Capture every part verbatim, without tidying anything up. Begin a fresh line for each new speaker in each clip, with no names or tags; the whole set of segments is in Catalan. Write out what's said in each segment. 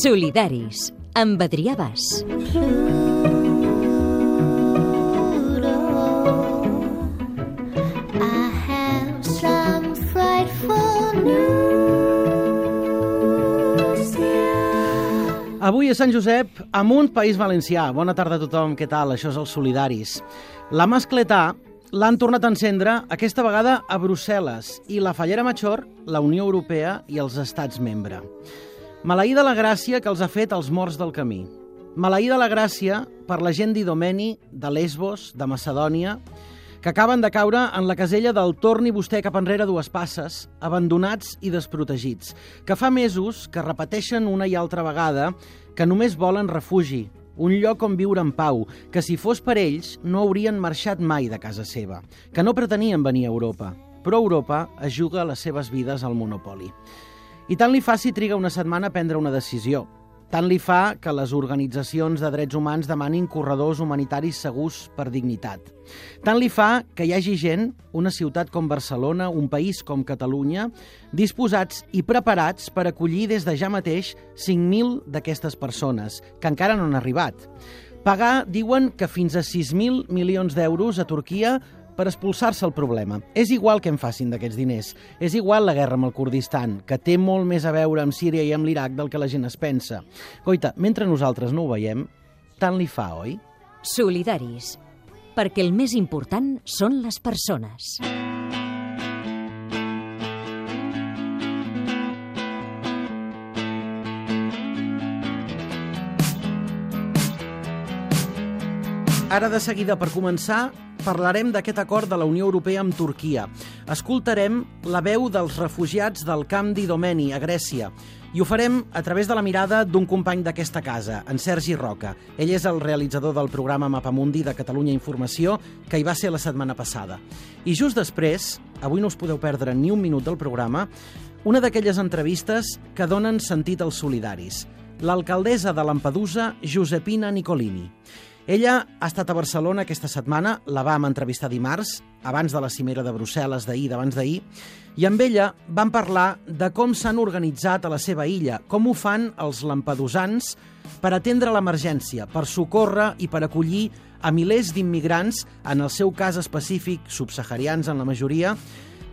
Solidaris, amb Adrià Bas.
Avui a Sant Josep, amunt País Valencià. Bona tarda a tothom, què tal? Això és els Solidaris. La mascletà l'han tornat a encendre, aquesta vegada a Brussel·les, i la Fallera Major, la Unió Europea i els estats membre. Maleïda la gràcia que els ha fet els morts del camí. Maleïda la gràcia per la gent d'Idomeni, de Lesbos, de Macedònia, que acaben de caure en la casella del torni vostè cap enrere dues passes, abandonats i desprotegits, que fa mesos que repeteixen una i altra vegada que només volen refugi, un lloc on viure en pau, que si fos per ells no haurien marxat mai de casa seva, que no pretenien venir a Europa, però Europa es juga les seves vides al monopoli. I tant li fa si triga una setmana a prendre una decisió. Tant li fa que les organitzacions de drets humans demanin corredors humanitaris segurs per dignitat. Tant li fa que hi hagi gent, una ciutat com Barcelona, un país com Catalunya, disposats i preparats per acollir des de ja mateix cinc mil d'aquestes persones, que encara no han arribat. Pagar, diuen, que fins a sis mil milions d'euros a Turquia per expulsar-se el problema. És igual que en facin d'aquests diners. És igual la guerra amb el Kurdistan, que té molt més a veure amb Síria i amb l'Iraq del que la gent es pensa. Coita, mentre nosaltres no ho veiem, tant li fa, oi?
Solidaris, perquè el més important són les persones.
Ara, de seguida, per començar, parlarem d'aquest acord de la Unió Europea amb Turquia. Escoltarem la veu dels refugiats del camp d'Idomeni, a Grècia, i ho farem a través de la mirada d'un company d'aquesta casa, en Sergi Roca. Ell és el realitzador del programa Mapamundi de Catalunya Informació, que hi va ser la setmana passada. I just després, avui no us podeu perdre ni un minut del programa, una d'aquelles entrevistes que donen sentit als solidaris. L'alcaldessa de Lampedusa, Josepina Nicolini. Ella ha estat a Barcelona aquesta setmana, la vam entrevistar dimarts, abans de la cimera de Brussel·les d'ahir, d'abans d'ahir, i amb ella van parlar de com s'han organitzat a la seva illa, com ho fan els lampedusans per atendre l'emergència, per socórrer i per acollir a milers d'immigrants, en el seu cas específic, subsaharians en la majoria,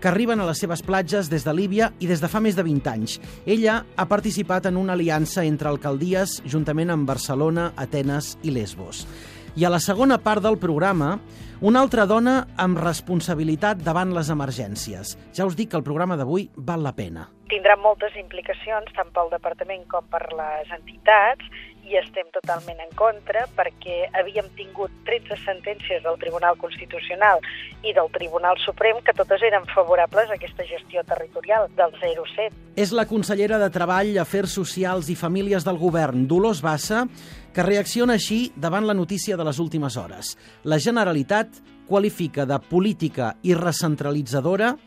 que arriben a les seves platges des de Líbia i des de fa més de vint anys. Ella ha participat en una aliança entre alcaldies juntament amb Barcelona, Atenes i Lesbos. I a la segona part del programa, una altra dona amb responsabilitat davant les emergències. Ja us dic que el programa d'avui val la pena.
Tindrà moltes implicacions, tant pel departament com per les entitats, i estem totalment en contra perquè havíem tingut tretze sentències del Tribunal Constitucional i del Tribunal Suprem que totes eren favorables a aquesta gestió territorial del zero set.
És la consellera de Treball, Afers Socials i Famílies del Govern, Dolors Bassa, que reacciona així davant la notícia de les últimes hores. La Generalitat qualifica de política i recentralitzadora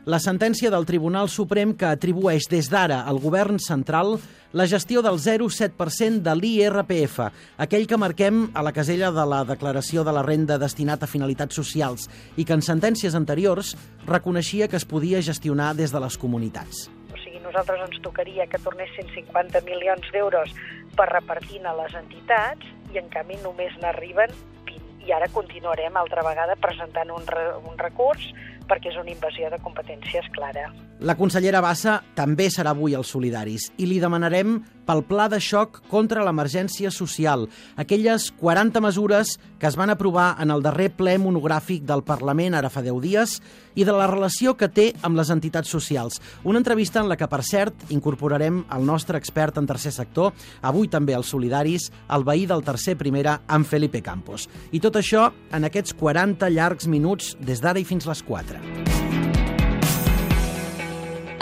la sentència del Tribunal Suprem que atribueix des d'ara al govern central la gestió del zero coma set per cent de l'I R P F, aquell que marquem a la casella de la declaració de la renda destinat a finalitats socials i que en sentències anteriors reconeixia que es podia gestionar des de les comunitats.
O sigui, nosaltres ens tocaria que tornessin cinquanta milions d'euros per repartir a les entitats i en canvi només n'arriben vint. I ara continuarem altra vegada presentant un, re, un recurs perquè és una invasió de competències clara.
La consellera Bassa també serà avui als Solidaris i li demanarem pel pla de xoc contra l'emergència social, aquelles quaranta mesures que es van aprovar en el darrer ple monogràfic del Parlament ara fa deu dies i de la relació que té amb les entitats socials. Una entrevista en la que, per cert, incorporarem el nostre expert en tercer sector, avui també als Solidaris, el veí del tercer primera, en Felipe Campos. I tot això en aquests quaranta llargs minuts des d'ara i fins les quatre.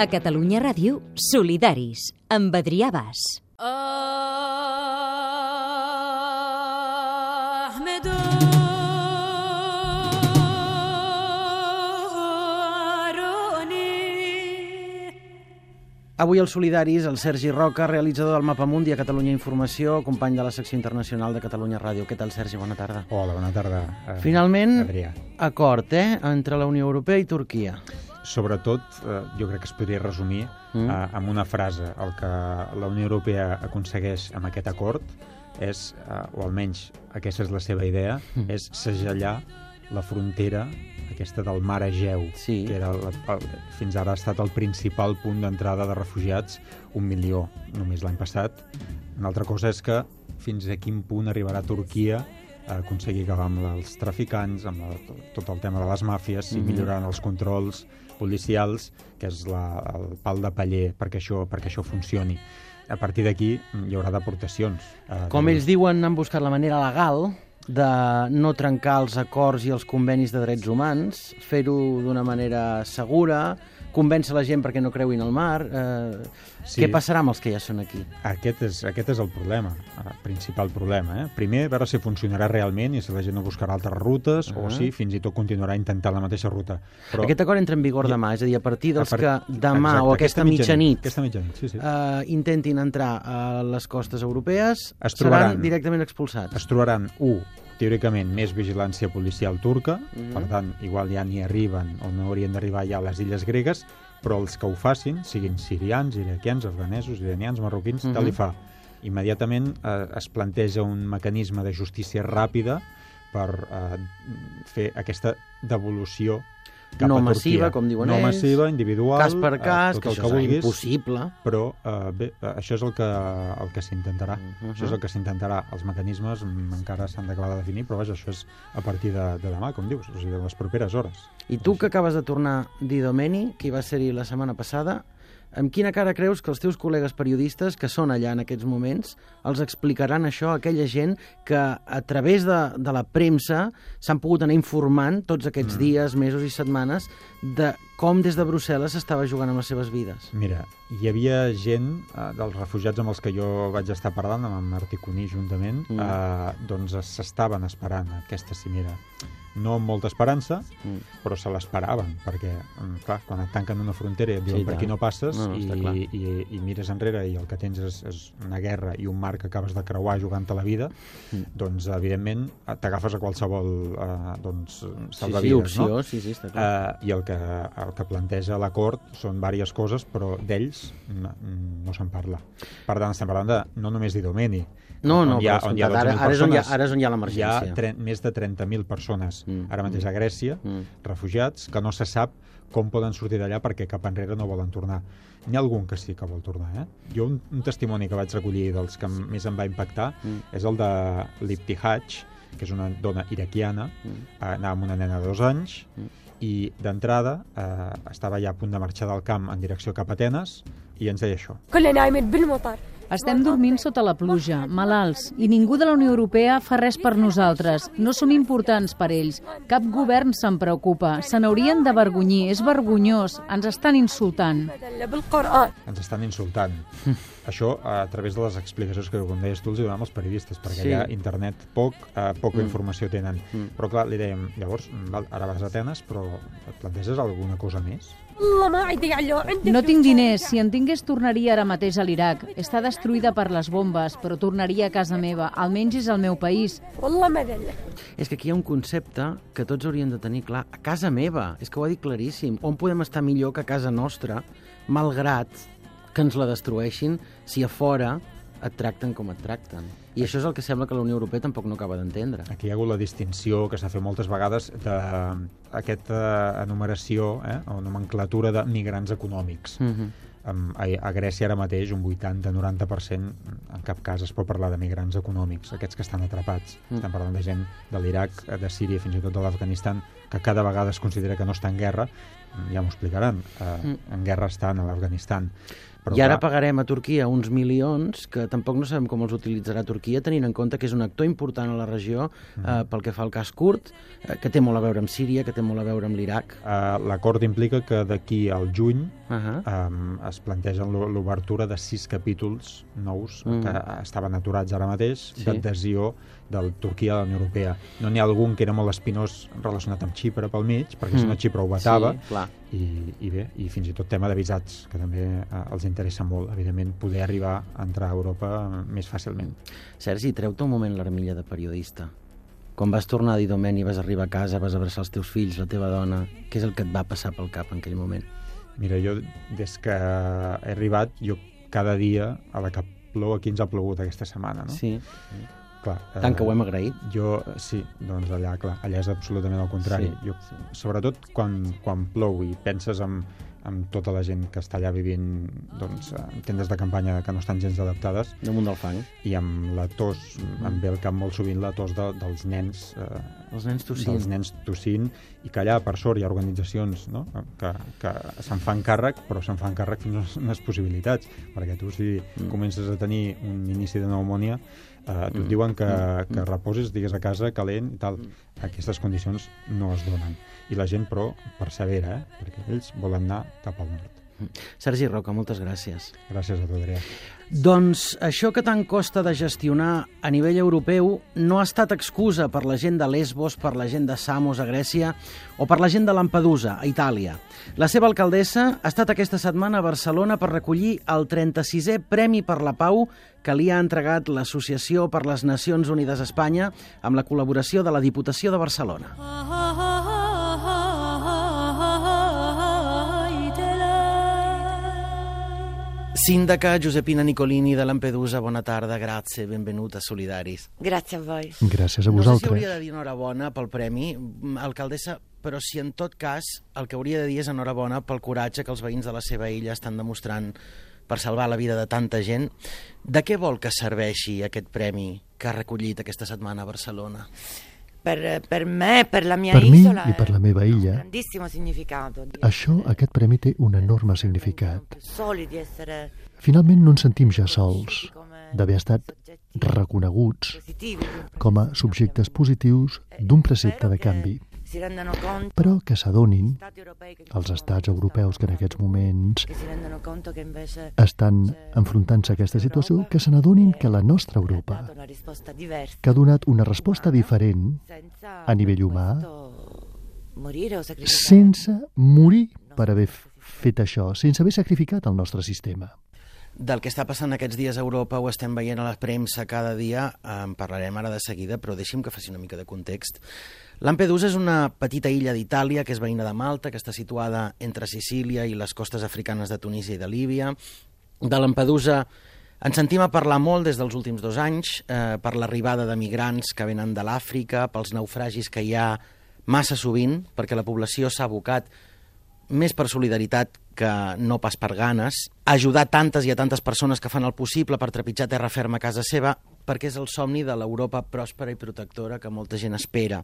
A Catalunya Ràdio, Solidaris, amb Adrià Bas.
Avui als Solidaris, el Sergi Roca, realitzador del Mapamundi a Catalunya Informació, company de la secció internacional de Catalunya Ràdio. Què tal, Sergi? Bona tarda.
Hola, bona tarda.
Finalment,
Adrià.
acord, eh?, entre la Unió Europea i Turquia.
sobretot, eh, jo crec que es podria resumir mm. eh, amb una frase. El que la Unió Europea aconsegueix amb aquest acord és, eh, o almenys aquesta és la seva idea, mm. és segellar la frontera aquesta del mar Egeu,
sí.
que era la, el, fins ara ha estat el principal punt d'entrada de refugiats, un milió només l'any passat. Una altra cosa és que fins a quin punt arribarà Turquia a aconseguir acabar amb els traficants, amb la, tot el tema de les màfies, si mm-hmm. milloraran els controls policials, que és la, el pal de paller perquè això, perquè això funcioni. A partir d'aquí hi haurà deportacions. Eh,
Com ells diuen, han buscat la manera legal de no trencar els acords i els convenis de drets humans, fer-ho d'una manera segura, convèncer la gent perquè no creuin al mar. Eh, sí. Què passarà amb els que ja són aquí?
Aquest és, aquest és el problema, el principal problema. Eh? Primer, veure si funcionarà realment i si la gent no buscarà altres rutes, uh-huh. o si fins i tot continuarà intentant la mateixa ruta. Però... Aquest
acord entra en vigor demà, és a dir, a partir dels a part... que demà Exacte, o aquesta, aquesta mitjanit,
aquesta mitjanit sí, sí.
Eh, intentin entrar a les costes europees, es trobaran, seran directament expulsats.
Es trobaran, u, teòricament, més vigilància policial turca, mm-hmm. per tant, igual ja n'hi arriben o no haurien d'arribar ja a les illes gregues, però els que ho facin, siguin sirians, iraquians, afganesos, iranians, marroquins, mm-hmm. tal i fa. Immediatament eh, es planteja un mecanisme de justícia ràpida per eh, fer aquesta devolució cap
no
a
massiva,
Turquia.
com diuen
no
ells.
No massiva, individual,
cas per cas,
eh,
que,
que
això
vulguis,
és impossible.
Però eh, bé, això és el que, el que s'intentarà. Uh-huh. Això és el que s'intentarà. Els mecanismes encara s'han d'acabar de definir, però vaja, això és a partir de, de demà, com dius, o sigui, de les properes hores.
I tu, que acabes de tornar d'Idomeni, que hi va ser-hi la setmana passada, amb quina cara creus que els teus col·legues periodistes, que són allà en aquests moments, els explicaran això a aquella gent que a través de, de la premsa s'han pogut anar informant tots aquests mm. dies, mesos i setmanes de com des de Brussel·les s'estava jugant amb les seves vides?
Mira, hi havia gent eh, dels refugiats amb els que jo vaig estar parlant, amb en Martí Cuní juntament, mm. eh, doncs s'estaven esperant aquesta cimera. No amb molta esperança, mm. però se l'esperaven, perquè, clar, quan et tanquen una frontera i et diuen sí, per aquí no passes, no, no, i, i, i mires enrere i el que tens és, és una guerra i un mar que acabes de creuar jugant-te la vida, mm. doncs, evidentment, t'agafes a qualsevol eh, doncs, salvavides,
sí, sí, opció,
no?
Sí, sí, està clar.
Eh, I el que, el que planteja l'acord són diverses coses, però d'ells no, no se'n parla. Per tant, estem parlant de, no només d'Idomeni,
no, no,
on hi ha,
però
on hi ha
ara, ara, és on hi ha, ara és on hi ha l'emergència.
Hi ha tre més de trenta mil persones mm. ara mateix a Grècia, mm. refugiats, que no se sap com poden sortir d'allà perquè cap enrere no volen tornar. N'hi ha algun que sí que vol tornar. Eh? Jo un, un testimoni que vaig recollir dels que més em va impactar mm. és el de l'Ibtihaj, que és una dona iraquiana, mm. anava amb una nena de dos anys, mm. i d'entrada eh, estava ja a punt de marxar del camp en direcció cap a Atenes i ens deia això.
Estem dormint sota la pluja, malalts, i ningú de la Unió Europea fa res per nosaltres. No som importants per ells. Cap govern se'n preocupa. Se n'haurien d'avergonyir. És vergonyós. Ens estan insultant.
Ens estan insultant. Això a través de les explicacions que, com deies tu, els donem als periodistes, perquè sí. allà internet poc, eh, poca mm. informació tenen. Mm. Però clar, li dèiem, llavors, ara vas a Atenes, però et planteges alguna cosa més?
No tinc diners. Si en tingués, tornaria ara mateix a l'Iraq. Està destruïda per les bombes, però tornaria a casa meva. Almenys és el meu país.
És que aquí hi ha un concepte que tots haurien de tenir clar. A casa meva, és que ho ha dit claríssim. On podem estar millor que a casa nostra, malgrat que ens la destrueixin, si a fora et tracten com et tracten. I això és el que sembla que la Unió Europea tampoc no acaba d'entendre.
Aquí hi ha hagut la distinció que s'ha fet moltes vegades d'aquesta enumeració eh, o nomenclatura de migrants econòmics. Mm-hmm. A, a Grècia ara mateix un vuitanta noranta per cent en cap cas es pot parlar de migrants econòmics, aquests que estan atrapats. Mm. Estem parlant de gent de l'Iraq, de Síria, fins i tot de l'Afganistan, que cada vegada es considera que no està en guerra. Ja m'ho explicaran, eh, mm. en guerra estan a l'Afganistan. Però
I ara clar... pagarem a Turquia uns milions que tampoc no sabem com els utilitzarà Turquia, tenint en compte que és un actor important a la regió mm. eh, pel que fa al cas kurd, eh, que té molt a veure amb Síria, que té molt a veure amb l'Iraq.
Uh, L'acord implica que d'aquí al juny uh -huh. um, es plantegen l'obertura de sis capítols nous mm. que estaven aturats ara mateix sí. d'adhesió de Turquia a la Unió Europea. No n'hi ha algun que era molt espinós relacionat amb Xipre pel mig, perquè mm. si no Xipre ho vetava, sí, i, i bé, i fins i tot tema de visats, que també eh, els interessa molt, evidentment, poder arribar a entrar a Europa més fàcilment.
Sergi, treu-te un moment l'armilla de periodista. Quan vas tornar d'Idomeni, vas arribar a casa, vas abraçar els teus fills, la teva dona, què és el que et va passar pel cap en aquell moment?
Mira, jo, des que he arribat, jo cada dia, a la que plou, aquí ens ha plogut aquesta setmana, no?
Sí.
Clar,
Tant que ho hem agraït.
Jo, sí, doncs allà, clar, allà és absolutament el contrari.
Sí,
jo,
sí.
Sobretot quan, quan plou i penses en, en tota la gent que està allà vivint doncs, en tendes de campanya que no estan gens adaptades.
Damunt del fang.
I amb la tos, em ve al cap molt sovint la tos de, dels nens. Eh,
Els nens tossint.
Dels nens tossint, i que allà, per sort, hi ha organitzacions, no?, que, que se'n fan càrrec, però se'n fan càrrec fins a unes possibilitats, perquè tu, si mm. comences a tenir un inici de pneumònia, eh, tu et diuen que, mm. que reposis, digues a casa, calent i tal. Aquestes condicions no es donen. I la gent, però, persevera, eh? Perquè ells volen anar cap al nord.
Sergi Roca, moltes gràcies.
Gràcies a tu, Adrià.
Doncs això que tant costa de gestionar a nivell europeu no ha estat excusa per la gent de Lesbos, per la gent de Samos a Grècia o per la gent de Lampedusa a Itàlia. La seva alcaldessa ha estat aquesta setmana a Barcelona per recollir el trenta-sisè Premi per la Pau que li ha entregat l'Associació per les Nacions Unides a Espanya amb la col·laboració de la Diputació de Barcelona. Sindaca Giuseppina Nicolini de Lampedusa, bona tarda, grazie, benvenuta a Solidaris.
Grazie a voi.
Gràcies a
No sé si
vosaltres.
hauria de dir enhorabona pel premi, alcaldessa, però si en tot cas el que hauria de dir és enhorabona pel coratge que els veïns de la seva illa estan demostrant per salvar la vida de tanta gent. De què vol que serveixi aquest premi que ha recollit aquesta setmana a Barcelona?
Per, per me, per la mia
Per mi
isola,
i per la meva illa,
un grandissimo significato. Di
això,
essere,
aquest premi té un enorme significat.
più soli, di essere
Finalment no ens sentim ja sols, d'haver estat reconeguts
positivi.
com a subjectes positius d'un precepte de canvi.
Si rendono conto,
Però que s'adonin,
stati europei che
els
sono
estats europeus que en aquests moments
che si rendono conto che invece
estan enfrontant-se a aquesta situació, que se n'adonin que la nostra
ha
Europa,
dato una risposta diversa,
que ha donat una resposta diferent
senza
a nivell
per
humà,
questo morire o sacrificare.
sense morir per haver fet això, sense haver sacrificat el nostre sistema.
Del que està passant aquests dies a Europa ho estem veient a la premsa cada dia, en parlarem ara de seguida, però deixi'm que faci una mica de context. Lampedusa és una petita illa d'Itàlia que és veïna de Malta, que està situada entre Sicília i les costes africanes de Tunísia i de Líbia. De Lampedusa ens sentim a parlar molt des dels últims dos anys, eh, per l'arribada de migrants que venen de l'Àfrica, pels naufragis que hi ha massa sovint, perquè la població s'ha abocat més per solidaritat que no pas per ganes, ajudar tantes i a tantes persones que fan el possible per trepitjar terra ferma a casa seva, perquè és el somni de l'Europa pròspera i protectora que molta gent espera.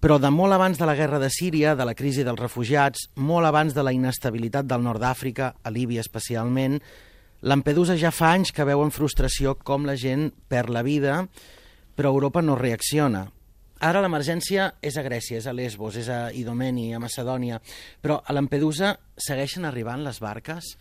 Però de molt abans de la guerra de Síria, de la crisi dels refugiats, molt abans de la inestabilitat del nord d'Àfrica, a Líbia especialment, Lampedusa ja fa anys que veu amb frustració com la gent perd la vida, però Europa no reacciona. Ara l'emergència és a Grècia, és a Lesbos, és a Idomeni, a Macedònia, però a Lampedusa segueixen arribant les barques?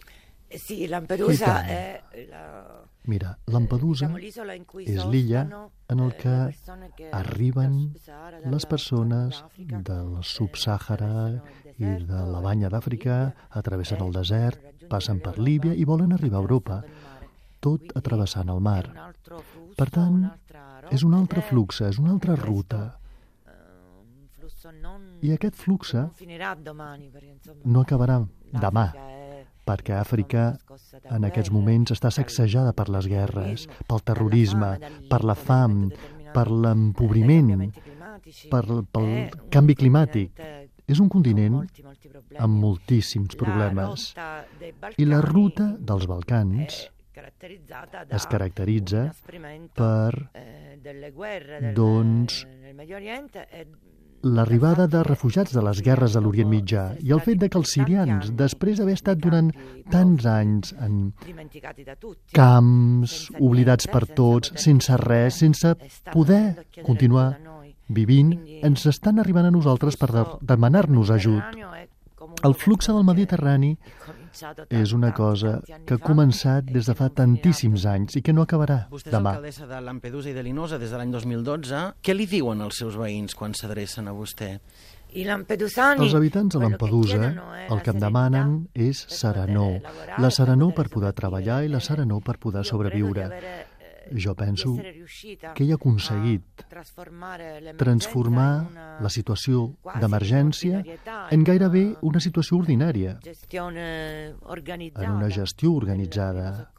Sì, Lampedusa
I
è la...
Mira, Lampedusa
diciamo, l'isola in cui
és l'illa
sostano,
en el
eh,
que
le persone che
arriben
dal Sub-Sahara, dalla-
les persones
dall'Africa,
del
eh,
Sub-Sàhara
attraversano il
i de
deserto,
la banya d'Àfrica,
Líbia,
atravessen el
eh,
desert,
raggiungono
passen per
l'Europa,
Líbia i volen arribar a Europa,
attraversando il mare.
tot
Quindi
atrevessant el
è
mar.
un altro flusso,
Per tant,
un'altra rotta
és un altre
ed è
flux, és una altra
questo,
ruta.
eh, un flusso non,
I aquest flux
non finirà domani, perché, insomma,
no acabarà demà,
l'Àfrica è
perquè Àfrica
una scossa da
en aquests
guerre,
moments està
dal-
sacsejada per les guerres,
terrorismo,
pel terrorisme,
dalla
per la
fame,
fam,
dall'inquinamento determinato
per
dai
l'empobriment,
cambiamenti climatici.
per, pel
È un
canvi climàtic.
continente
És un
con
continent
molti, molti problemi.
amb moltíssims
La
problemes.
rotta dei
I la
Balcani
ruta dels Balcans
è caratterizzata da
es caratterizza
un inasprimento,
per
eh, delle guerre del,
doncs,
nel Medio Oriente e
l'arribada de refugiats de les guerres a l'Orient Mitjà i el fet de que els sirians, després d'haver estat durant tants anys en
dimenticati da tutti,
camps, oblidats per tots, sense res, sense poder continuar vivint, ens estan arribant a nosaltres per de- demanar-nos ajut. El flux del Mediterrani és una cosa que ha començat des de fa tantíssims anys i que no acabarà
Vostè és
demà.
alcaldessa de Lampedusa i de Linosa des de l'any dos mil dotze. Què li diuen els seus veïns quan s'adrecen a vostè?
I lampedusani,
Els habitants de
quello che
Lampedusa
chiedono è
el
la
que em
serenità
demanen és
per
serenor.
poter lavorare,
La serenor
per
per poder
poter
treballar i la
sopravvivere.
serenor per poder
Io credo di
sobreviure.
avere, eh,
jo penso que ell ha aconseguit transformar la situació d'emergència en gairebé una situació ordinària, en una gestió organitzada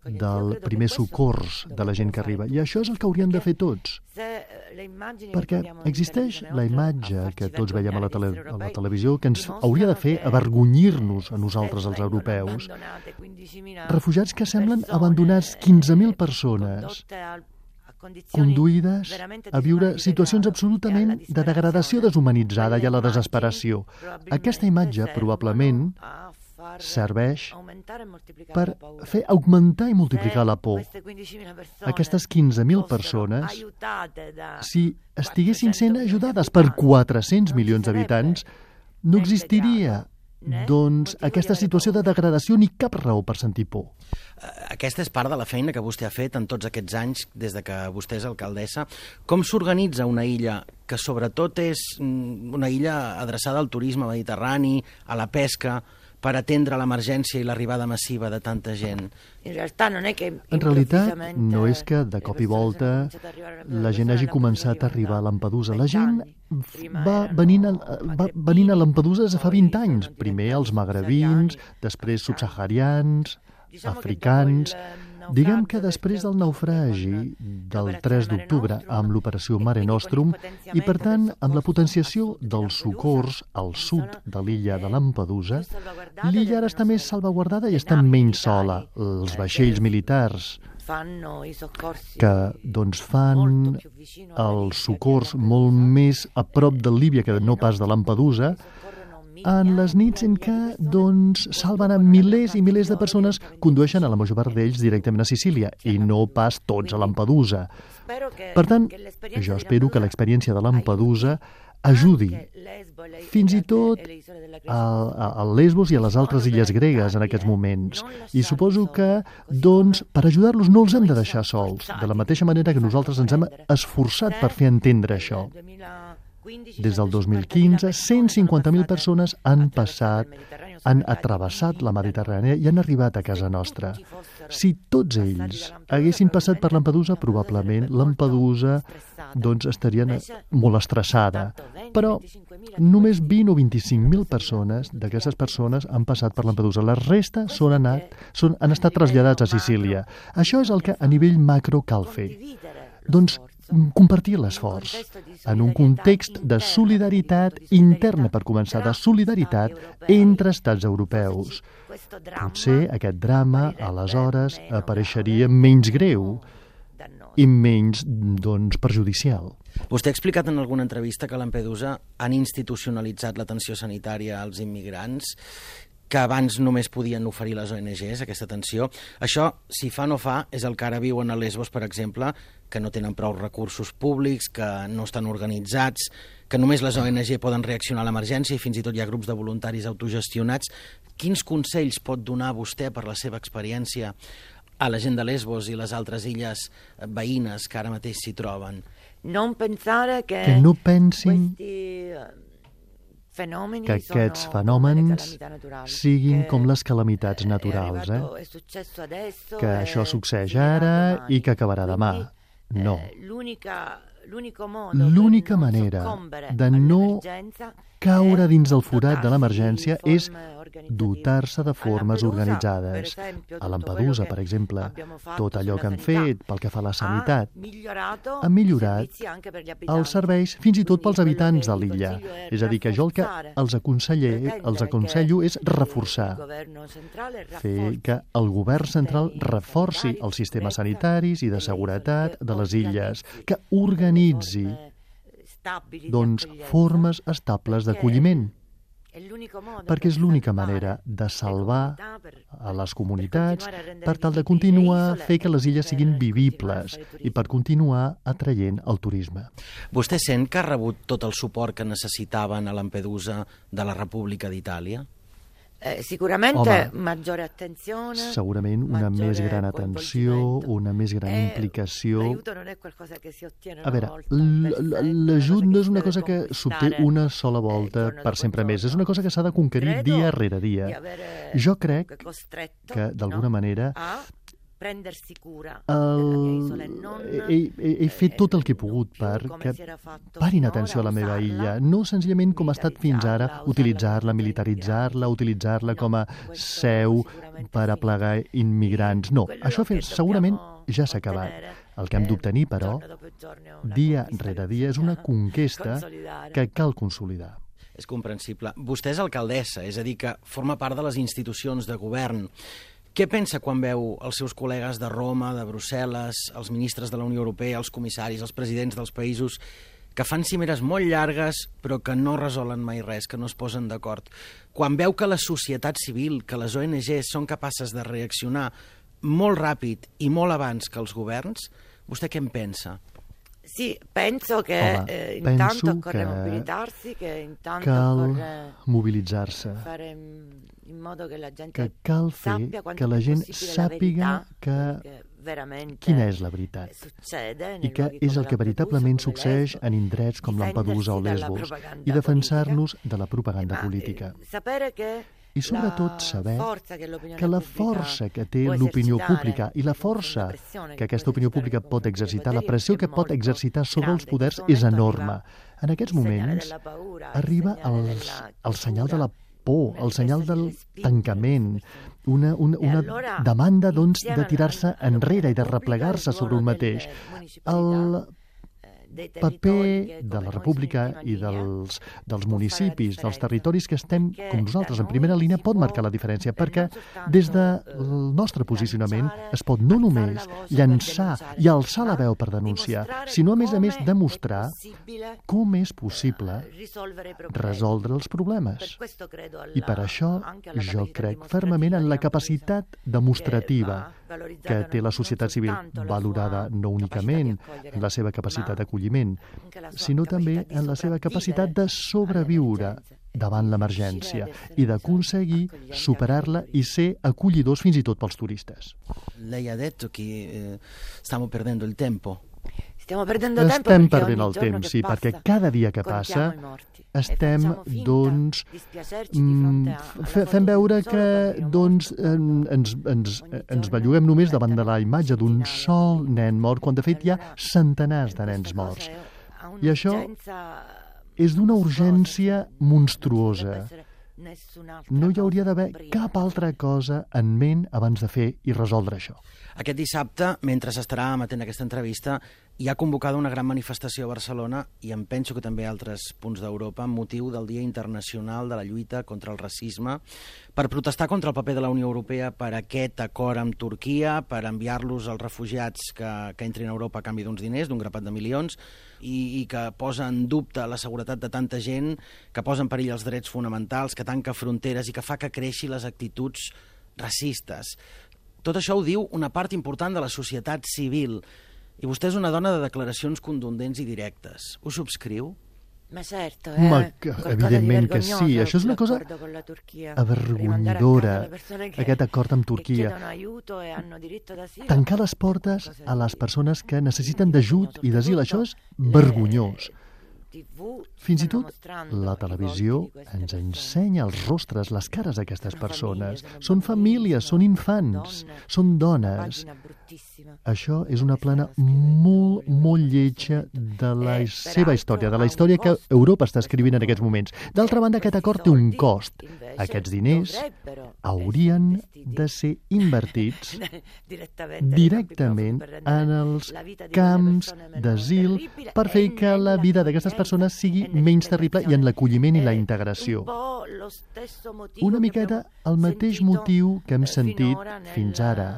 del primer socors de la gent que arriba. I això és el que haurien de fer tots. Perquè existeix la imatge que tots veiem a la, tele, a la televisió que ens hauria de fer avergonyir-nos a nosaltres, els europeus. Refugiats que semblen abandonats, quinze mil persones conduïdes a viure situacions absolutament de degradació deshumanitzada i a la desesperació. Aquesta imatge probablement serveix per fer augmentar i multiplicar la por. Aquestes quinze mil persones, si estiguessin sent ajudades per quatre-cents milions d'habitants, no existiria doncs aquesta situació de degradació ni cap raó per sentir por.
Aquesta és part de la feina que vostè ha fet en tots aquests anys des de que vostè és alcaldessa. Com s'organitza una illa que sobretot és una illa adreçada al turisme mediterrani, a la pesca, per atendre l'emergència i l'arribada massiva de tanta gent?
En realitat, no és que de cop i volta la gent hagi començat a arribar a Lampedusa. La gent va venint a, va venint a Lampedusa des de fa vint anys. Primer els magrebins, després subsaharians, africans. Diguem que després del naufragi del tres d'octubre amb l'operació Mare Nostrum i, per tant, amb la potenciació dels socors al sud de l'illa de Lampedusa, l'illa ara està més salvaguardada i està menys sola. Els vaixells militars que doncs, fan els socors molt més a prop de Líbia que no pas de Lampedusa, en les nits en què doncs, salven a milers i milers de persones, condueixen a la major part d'ells directament a Sicília i no pas tots a Lampedusa. Per tant, jo espero que l'experiència de Lampedusa ajudi fins i tot a, a, a Lesbos i a les altres illes gregues en aquests moments. I suposo que, doncs, per ajudar-los no els hem de deixar sols, de la mateixa manera que nosaltres ens hem esforçat per fer entendre això. Des del dos mil quinze, cent cinquanta mil persones han passat, han travessat la Mediterrània i han arribat a casa nostra. Si tots ells haguessin passat per Lampedusa, probablement Lampedusa doncs, estaria molt estressada. Però només vint o vint-i-cinc mil persones d'aquestes persones han passat per Lampedusa. La resta són anat, són, han estat traslladats a Sicília. Això és el que a nivell macro cal fer. Doncs compartir l'esforç en un context de solidaritat interna, per començar, de solidaritat entre estats europeus. Potser aquest drama, aleshores, apareixeria menys greu i menys, doncs, perjudicial.
Vostè ha explicat en alguna entrevista que a Lampedusa han institucionalitzat l'atenció sanitària als immigrants, que abans només podien oferir les O N Ges, aquesta atenció. Això, si fa no fa, és el que ara viuen a Lesbos, per exemple, que no tenen prou recursos públics, que no estan organitzats, que només les O N G poden reaccionar a l'emergència i fins i tot hi ha grups de voluntaris autogestionats. Quins consells pot donar vostè per la seva experiència a la gent de Lesbos i les altres illes veïnes que ara mateix s'hi troben?
Que no pensin que aquests fenòmens siguin com les calamitats naturals, eh? Que això succeeix ara i que acabarà demà. No. L'única manera de no caure dins el forat de l'emergència és dotar-se de formes organitzades. A Lampedusa, per exemple, tot allò que han fet pel que fa a la sanitat ha millorat els serveis fins i tot pels habitants de l'illa. És a dir, que jo el que els aconsello, els aconsello és reforçar, fer que el govern central reforci els sistemes sanitaris i de seguretat de les illes, que organitzi doncs, formes estables d'acolliment, perquè és l'única manera de salvar a les comunitats per tal de continuar a fer que les illes siguin vivibles i per continuar atraient el turisme.
Vostè sent que ha rebut tot el suport que necessitaven a Lampedusa de la República d'Itàlia?
Eh, sicuramente maggiore attenzione,
segurament una més gran atenció, una més gran implicació. A veure, l'ajut no és una cosa que s'obté una sola volta per sempre més, és una cosa que s'ha de conquerir dia rere dia. Jo crec que, d'alguna manera,
prendersi cura
El...
della mia isola e non...
He, he, he fet tot el que he pogut perquè parin atenció a la meva illa, no senzillament com ha estat fins ara, utilitzar-la, militaritzar-la, utilitzar-la com a seu per aplegar immigrants. No, això segurament ja s'ha acabat. El que hem d'obtenir, però, dia rere dia, és una conquesta que cal consolidar.
És comprensible. Vostè és alcaldessa, és a dir, que forma part de les institucions de govern. Què pensa quan veu els seus col·legues de Roma, de Brussel·les, els ministres de la Unió Europea, els comissaris, els presidents dels països, que fan cimeres molt llargues però que no resolen mai res, que no es posen d'acord? Quan veu que la societat civil, que les O N Ges són capaces de reaccionar molt ràpid i molt abans que els governs, vostè què en pensa?
Sì, penso che
Home,
eh,
penso
intanto occorre
que
mobilitarsi, che intanto
cal
occorre
mobilitzar-se,
fare in modo che la gente
que cal fer
sappia quanto
que la
più
gent
possibile la
sàpiga
verità,
que
che veramente
quina és la veritat
succede
i
nei
que
luoghi
és
come
el que veritablement
Lampedusa, come
succeeix
Lesbos,
en indrets com Lampedusa o
difendersi dalla
Lesbos
propaganda
i defensar-nos de la propaganda
Ma,
política.
eh, sapere che
I sobretot saber
forza che l'opinione
que la
pubblica
força que té
può
l'opinió
esercitare,
pública i la força
la pressione
que
che
aquesta
può
opinió
esercitare
pública
nei
pot
confronti dei
exercitar, la
poteri
pressió
è
que pot
molto
exercitar sobre els
grande.
poders
In questo
és
momento
enorme.
arriva
En aquests
il segnale
moments
della paura, il
arriba
segnale
el,
della
el senyal de la
chiusura,
por, el senyal del tancament, una, una,
E
una
allora,
demanda doncs,
insieme
de tirar-se
alla- alla
enrere i de
Repubblica,
replegar-se
il
sobre un
ruolo
mateix.
delle municipalità,
El
dei territori
paper
che,
de
come
la
noi,
República
sono in
i
prima linea,
dels, dels
può
municipis,
fare la
dels
differenza.
territoris que estem,
Perché
com nosaltres,
da
en primera
noi
línia,
si
pot
può,
marcar la diferència,
eh,
perquè
non soltanto,
des del
eh,
nostre posicionament
lanciare,
es pot no
alzare
només
la voce per
llançar
denunciare,
i alçar la
ma
veu per denunciar,
dimostrare
sinó, a més a més,
come
demostrar
è possibile,
com és possible
eh, risolvere i problemi.
resoldre els problemes.
Per questo credo alla-
I per això
anche alla
jo
capacità
crec
dimostrativa
fermament en la
di
capacitat
Lampedusa,
demostrativa
che va valorizzata
que té la
non
societat civil,
soltanto la
valorada
sua
no únicament
capacità di accogliere,
en la seva capacitat
ma
d'acolliment,
anche la sua
sinó també
capacità di
en la seva capacitat de
sopravvivere
sobreviure
all'emergenza
davant
e di
l'emergència
riuscire ad essere
i d'aconseguir
accoglienti
superar-la
anche
i ser acollidors fins i tot pels turistes.
Lei ha detto che eh, stiamo perdendo il tempo.
Stiamo perdendo tempo
Estem
perché
perdent
ogni
el
giorno
temps,
che
sí,
passa
perquè cada dia que
contiamo
passa
i morti
estem,
e facciamo finta
doncs,
di spiacerci di
mm,
fronte a- alla
fe-
foto
fem
di un
veure
solo
que
bambino
doncs,
morto.
en- ens, ens,
Ogni
ens
giorno
belluguem només davant de la
perdono
imatge d'un
centinaia di
sol
bambini.
nen mort, quan de fet hi ha
Allora,
centenars de
questa
nens
cosa
morts.
è- ha
I això
un'urgenza
és d'una
mostruosa,
urgència
non ci dovrebbe
monstruosa.
essere nessun'altra
No hi
cosa
hauria d'haver
prima.
cap altra cosa en ment abans de fer i resoldre això.
Aquest dissabte, mentre s'estarà emetent aquesta entrevista, hi ha convocada una gran manifestació a Barcelona i em penso que també a altres punts d'Europa amb motiu del Dia Internacional de la Lluita contra el Racisme per protestar contra el paper de la Unió Europea per aquest acord amb Turquia, per enviar-los als refugiats que, que entrin a Europa a canvi d'uns diners, d'un grapat de milions, i, i que posa en dubte la seguretat de tanta gent, que posa en perill els drets fonamentals, que tanca fronteres i que fa que creixi les actituds racistes. Tot això ho diu una part important de la societat civil. I vostè és una dona de declaracions contundents i directes. Ho subscriu?
Ma certo,
Ma
eh,
que,
qualcosa di
evidentment que
vergognoso
sí, això és una cosa
l'accordo con la Turchia.
avergonyidora,
Rimandare a casa le persone che-
aquest acord amb
che
Turquia.
chiedono aiuto e hanno diritto d'asilo.
Tancar les portes a les persones que necessiten d'ajut i d'asil, això és vergonyós. Fins i tot la televisió ens ensenya els rostres, les cares d'aquestes persones. Són famílies, són infants, són dones. Això és una plana molt, molt lletja de la seva història, de la història que Europa està escrivint en aquests moments. D'altra banda, aquest acord té un cost. Aquests diners haurien de ser invertits directament en els camps d'asil per fer que la vida d'aquestes persones sigui menys terrible i en l'acolliment i la integració. Una miqueta el mateix motiu que hem sentit fins ara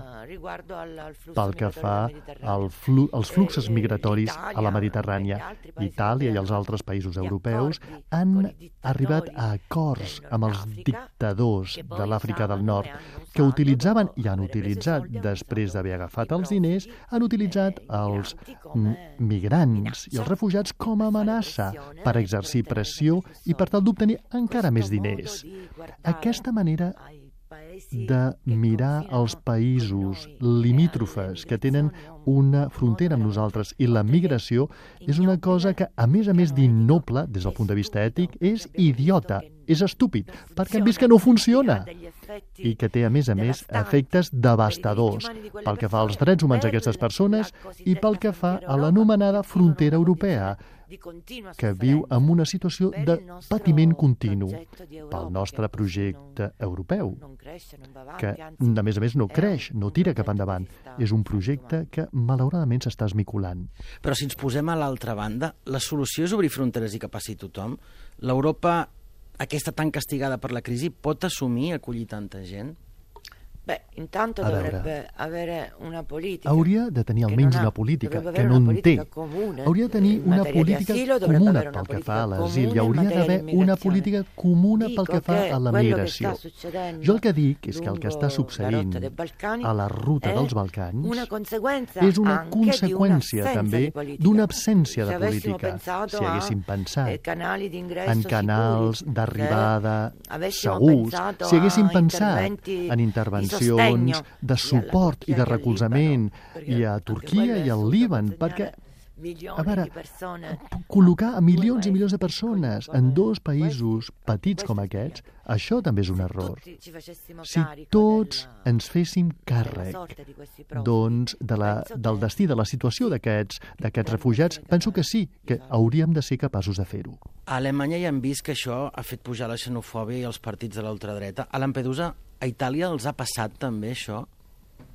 pel que fa al flu als fluxos migratoris a la Mediterrània. Itàlia i els altres països europeus han arribat a acords amb els dictadors de l'Àfrica del Nord que utilitzaven i han utilitzat, després d'haver agafat els diners, han utilitzat els migrants i els refugiats com a amenaça per exercir pressió i per tal d'obtenir encara més diners. Aquesta manera de mirar els països limítrofes que tenen una frontera amb nosaltres i la migració és una cosa que, a més a més d'innoble, des del punt de vista ètic, és idiota. és estúpid, perquè han vist que no funciona i que té, a més a més, efectes devastadors pel que fa als drets humans d'aquestes persones i pel que fa a l'anomenada frontera europea, que viu en una situació de patiment continu pel nostre projecte europeu, que, a més a més, no creix, no tira cap endavant. És un projecte que, malauradament, s'està esmicolant.
Però si ens posem a l'altra banda, la solució és obrir fronteres i que passi tothom? L'Europa, aquesta tan castigada per la crisi, pot assumir acollir tanta gent?
Beh, intanto
A
dovrebbe
veure,
avere una politica.
hauria de tenir
que
almenys
non ha.
una política,
Dovrebbe
que
avere
no
una
en té.
politica comune.
Hauria de tenir
In
una
materia di
política
asilo dovrebbe
comuna
avere una
pel que
politica
fa a l'asil
comune
i
in
hauria
materia
d'haver
di
una
immigrazione.
política comuna pel
Dico
que fa
che
a la
quello che
migració.
sta succedendo
Jo el que dic és que el que està
lungo la
succeint
rotta dei Balcani
a la ruta
è
dels Balcans
una conseguenza
és una
anche
conseqüència
di un'assenza
també
di politica.
d'una absència
Se
de
avessimo
política.
pensato
Si haguéssim
a,
pensat
eh, canali d'ingresso
en canals
sicuri,
d'arribada
se avessimo
segurs,
pensato
si haguéssim
a
pensat
interventi
en
di
intervencions
sostegno
de suport i de recolzament i a Turquia i al Líban, perquè a veure, col·locar a milions i milions de persones en dos països petits com aquests, això també és un error. Si tots ens féssim càrrec doncs, de la, del destí, de la situació d'aquests d'aquests refugiats, penso que sí, que hauríem de ser capaços de fer-ho.
A Alemanya ja hem vist que això ha fet pujar la xenofòbia i els partits de la ultradreta. A Lampedusa, a Itàlia, els ha passat també això?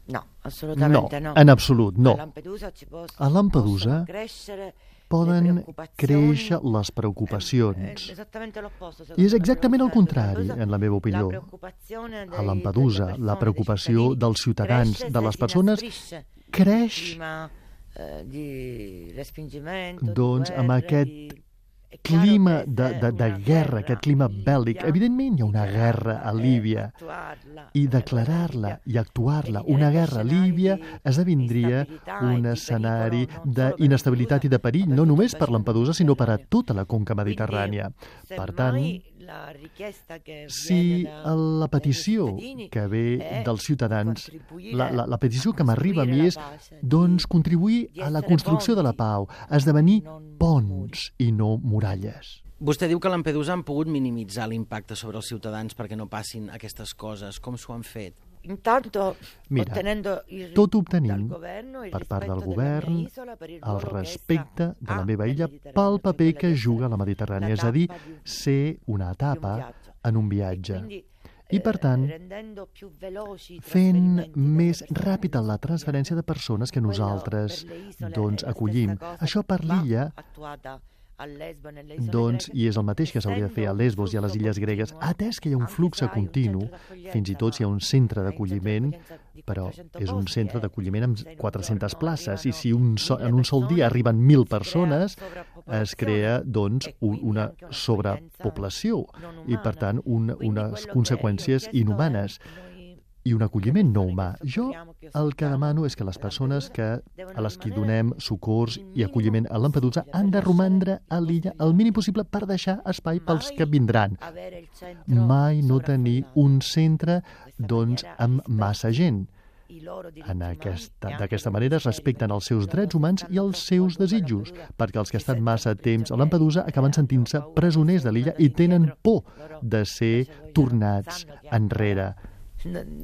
No, assolutamente no.
No, en absolut, no.
A Lampedusa, ci pos-
A Lampedusa
possono crescere
poden
le preoccupazioni.
créixer les
È
preocupacions.
esattamente l'opposto,
I és
secondo me,
exactament el
quello che
contrari,
Lampedusa,
en la meva
la
opinió.
preoccupazione dei-
A Lampedusa,
delle
la
persone,
preocupació
dei cittadini,
dels ciutadans,
cresce
de
se
les
si
persones,
inasprisce
creix
il clima, eh, di respingimento, di
doncs, amb
guerre,
aquest
di- è chiaro
clima
che
de,
se
de, de
una
guerra, aquest clima bèl·lic.
dobbiamo
Evidentment hi ha una guerra a Líbia
attuarla,
i
eh,
declarar-la
Libia,
i actuar-la.
e
Una
diventerebbe
guerra a
scenari
Líbia
di
esdevindria
instabilità e
un
di
escenari
pericolo non solo per
d'inestabilitat i de perill,
Lampedusa,
no
ma per
només
tutto
per
il
Lampedusa, sinó per a
Mediterraneo.
tota la conca
Quindi,
mediterrània. Per
semmai,
tant,
la richiesta che
si
viene da-
la
dai
petició
cittadini
que ve
è
dels ciutadans,
contribuire
la, la, la petició
a
que m'arriba a mi és
costruire la pace,
doncs,
di-
contribuir
di
a la
essere
construcció de la
ponti,
pau, a esdevenir
non
ponts i no muralles.
Vostè diu que a Lampedusa han pogut minimitzar l'impacte sobre els ciutadans perquè no passin aquestes coses. Com s'ho han fet?
Intanto
Mira,
ottenendo il
tot
dal
obtenint
governo il
per part del
rispetto della
govern
mia isola per il
el
ruolo che
respecte
essa
de la
ha
meva
nel
illa
Mediterraneo,
pel
per
paper
quella
que
che
juga a la
sia
Mediterrània,
la
és a dir,
tappa di un-
ser una
di un
etapa
viaggio.
en un
E
viatge.
quindi,
I per
eh,
tant,
rendendo più veloci i
fent
trasferimenti delle
més
persone
ràpida la
che
transferència de persones que
Quello
nosaltres
per le isole
doncs,
è la
acollim.
stessa cosa
Això per
va
l'illa
attuata a Lesbo, nelle isole
doncs,
greche,
i és el mateix que s'hauria de fer a
essendo
Lesbos i a
un
les
flusso
illes gregues,
continuo,
atès que hi ha un
anche
flux
se hai un
continu,
centro d'accoglienza,
fins i tot si hi ha un centre d'acolliment, però és un centre d'acolliment amb quatre-centes places, i si un so, en un sol dia arriben mil persones, es crea doncs, un, una sobrepoblació i, per tant, un, unes conseqüències inhumanes i un acolliment no humà. Jo el que demano és que les persones que, a les que donem socors i acolliment a Lampedusa han de romandre a l'illa el mínim possible per deixar espai pels que vindran. Mai no tenir un centre doncs, amb massa gent. En aquesta, d'aquesta manera es respecten els seus drets humans i els seus desitjos, perquè els que estan massa temps a Lampedusa acaben sentint-se presoners de l'illa i tenen por de ser tornats enrere.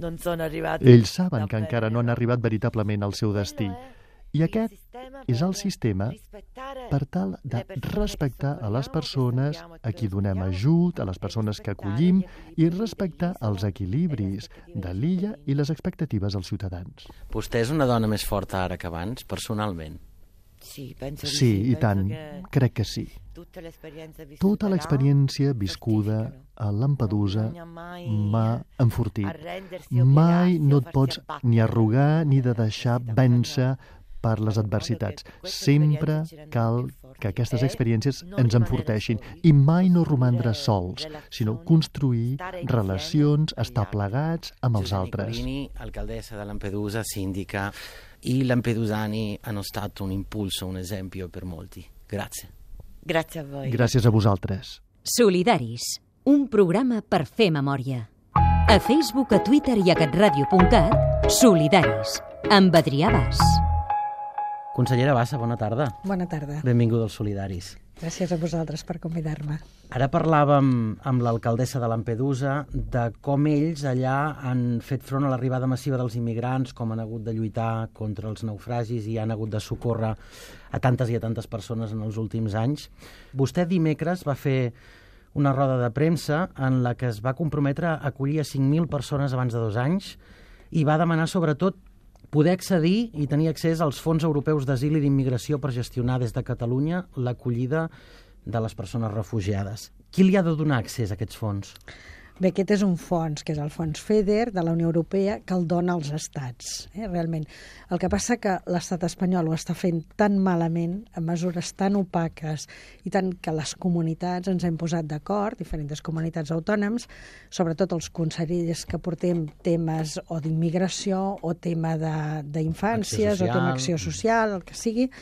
non sono arrivati.
Ells saben que encara no han arribat veritablement al seu destí. I aquest és el sistema per tal de respectar a les persones a qui donem ajut, a les persones que acollim, i respectar els equilibris de l'illa i les expectatives dels ciutadans.
Vostè és una dona més forta ara que abans, personalment?
Sí, penso di
Sí,
sì,
i
penso
tant,
che
crec que sí.
tutta l'esperienza vissuta
Tota
là
l'experiència viscuda
certificano.
a Lampedusa
Non bisogna mai
m'ha enfortit.
arrendersi,
Mai
obbligarsi
no
o
et
farsi
pots
abbattere.
ni arrugar ni de deixar vèncer per les adversitats. Sempre cal que aquestes experiències ens enforteixin i mai no romandre sols, sinó construir relacions, estar plegats amb els altres.
Nicolini, alcaldessa de Lampedusa, sindica, i lampedusani hanno stato un impulso, un esempio per molti. Grazie.
Grazie a voi.
Gràcies a vosaltres.
Solidaris, un programa per fer memòria. A Facebook, a Twitter i a catradio punt cat, Solidaris, amb Adrià Bas.
Consellera Bassa, bona tarda.
Bona tarda.
Benvinguda als Solidaris.
Gràcies a vosaltres per convidar-me.
Ara parlàvem amb l'alcaldessa de Lampedusa de com ells allà han fet front a l'arribada massiva dels immigrants, com han hagut de lluitar contra els naufragis i han hagut de socórrer a tantes i a tantes persones en els últims anys. Vostè dimecres va fer una roda de premsa en la que es va comprometre a acollir a cinc mil persones abans de dos anys i va demanar sobretot poder accedir i tenir accés als fons europeus d'asil i d'immigració per gestionar des de Catalunya l'acollida de les persones refugiades. Qui li ha de donar accés a aquests fons?
Bé, aquest és un fons, que és el fons FEDER de la Unió Europea, que el dona als estats, eh, realment. El que passa que l'estat espanyol ho està fent tan malament, amb mesures tan opaques, i tant que les comunitats ens hem posat d'acord, diferents comunitats autònoms, sobretot els consellers que portem temes o d'immigració o tema d'infàncies o tema acció social, el que sigui,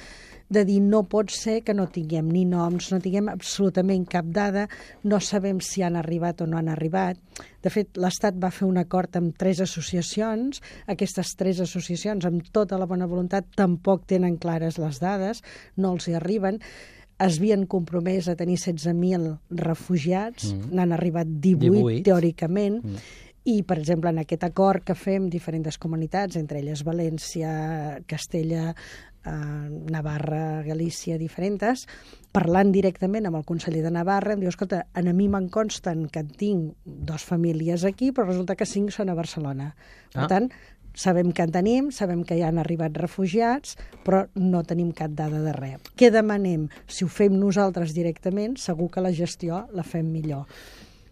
de dir no pot ser que no tinguem ni noms, no tinguem absolutament cap dada, no sabem si han arribat o no han arribat. De fet, l'Estat va fer un acord amb tres associacions, aquestes tres associacions, amb tota la bona voluntat, tampoc tenen clares les dades, no els hi arriben. Es havien compromès a tenir setze mil refugiats, mm. n'han arribat divuit, divuit. teòricament, mm. i, per exemple, en aquest acord que fem diferents comunitats, entre elles València, Castella, eh, Navarra, Galícia, diferents, parlant directament amb el conseller de Navarra, em diu, escolta, a mi me'n consten que tinc dos famílies aquí, però resulta que cinc són a Barcelona. Per ah. tant, sabem que en tenim, sabem que hi han arribat refugiats, però no tenim cap dada de res. Què demanem? Si ho fem nosaltres directament, segur que la gestió la fem millor.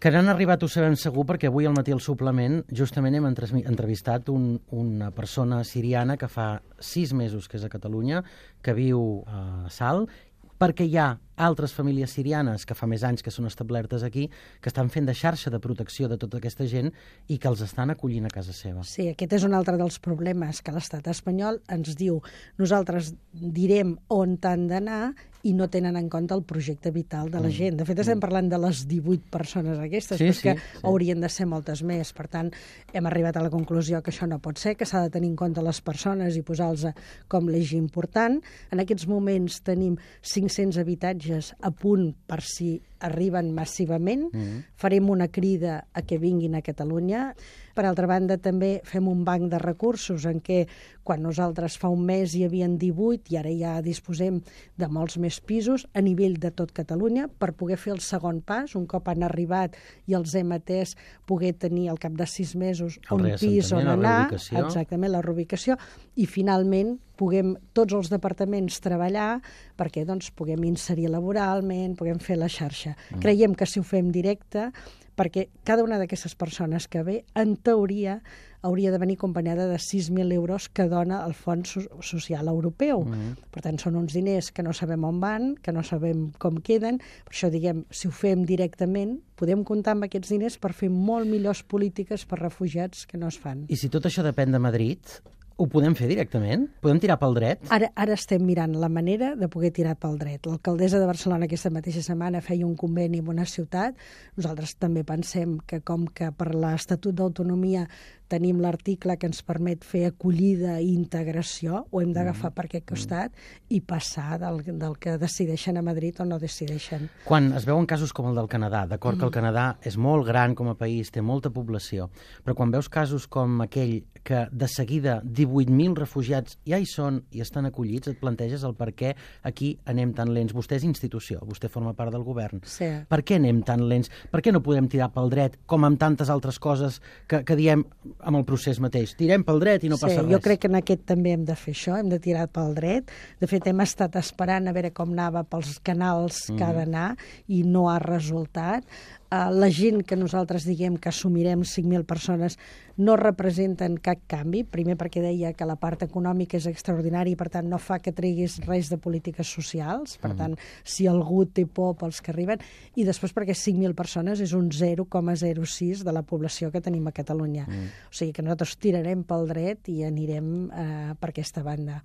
Que n'han arribat ho sabem segur, perquè avui al matí al suplement justament hem entrevistat un, una persona siriana que fa sis mesos que és a Catalunya, que viu a Salt, perquè hi ha altres famílies sirianes que fa més anys que són establertes aquí, que estan fent de xarxa de protecció de tota aquesta gent i que els estan acollint a casa seva.
Sí, aquest és un altre dels problemes, que l'estat espanyol ens diu nosaltres direm on han d'anar i no tenen en compte el projecte vital de la gent. De fet, estem parlant de les divuit persones aquestes, sí, perquè sí, sí. haurien de ser moltes més. Per tant, hem arribat a la conclusió que això no pot ser, que s'ha de tenir en compte les persones i posar-los com l'eix important. En aquests moments tenim cinc-cents habitatges a punt per si arriben massivament. Mm-hmm. Farem una crida a que vinguin a Catalunya. Per altra banda, també fem un banc de recursos en què, quan nosaltres fa un mes hi havien divuit i ara ja disposem de molts més pisos a nivell de tot Catalunya per poder fer el segon pas, un cop han arribat i els hem atès, poder tenir al cap de sis mesos un pis on anar, exactament, la reubicació, i finalment puguem tots els departaments treballar perquè doncs, puguem inserir laboralment, puguem fer la xarxa. Mm. Creiem que si ho fem directe, perquè cada una d'aquestes persones que ve, en teoria, hauria de venir acompanyada de sis mil euros que dona el Fons Social Europeu. Mm. Per tant, són uns diners que no sabem on van, que no sabem com queden. Per això, diguem, si ho fem directament, podem comptar amb aquests diners per fer molt millors polítiques per refugiats que no es fan.
I si tot això depèn de Madrid, ho podem fer directament? Podem tirar pel dret?
Ara, ara estem mirant la manera de poder tirar pel dret. L'alcaldessa de Barcelona aquesta mateixa setmana feia un conveni amb una ciutat. Nosaltres també pensem que com que per l'Estatut d'Autonomia tenim l'article que ens permet fer acollida i integració, ho hem d'agafar mm. per aquest costat i passar del, del que decideixen a Madrid o no decideixen.
Quan es veuen casos com el del Canadà, d'acord mm. que el Canadà és molt gran com a país, té molta població, però quan veus casos com aquell que de seguida divuit mil refugiats ja hi són i estan acollits, et planteges el per què aquí anem tan lents. Vostè és institució, vostè forma part del govern.
Sí.
Per què anem tan lents? Per què no podem tirar pel dret, com amb tantes altres coses que, que diem amb el procés mateix? Tirem pel dret i no passa
sí,
res.
Jo crec que en aquest també hem de fer això, hem de tirar pel dret. De fet, hem estat esperant a veure com anava pels canals mm. que ha d'anar i no ha resultat. Uh, la gent que nosaltres diguem que assumirem cinc mil persones no representen cap canvi, primer perquè deia que la part econòmica és extraordinària i per tant no fa que treguis res de polítiques socials, per tant si algú té por pels que arriben, i després perquè cinc mil persones és un zero coma zero sis de la població que tenim a Catalunya. Mm. O sigui que nosaltres tirarem pel dret i anirem uh, per aquesta banda.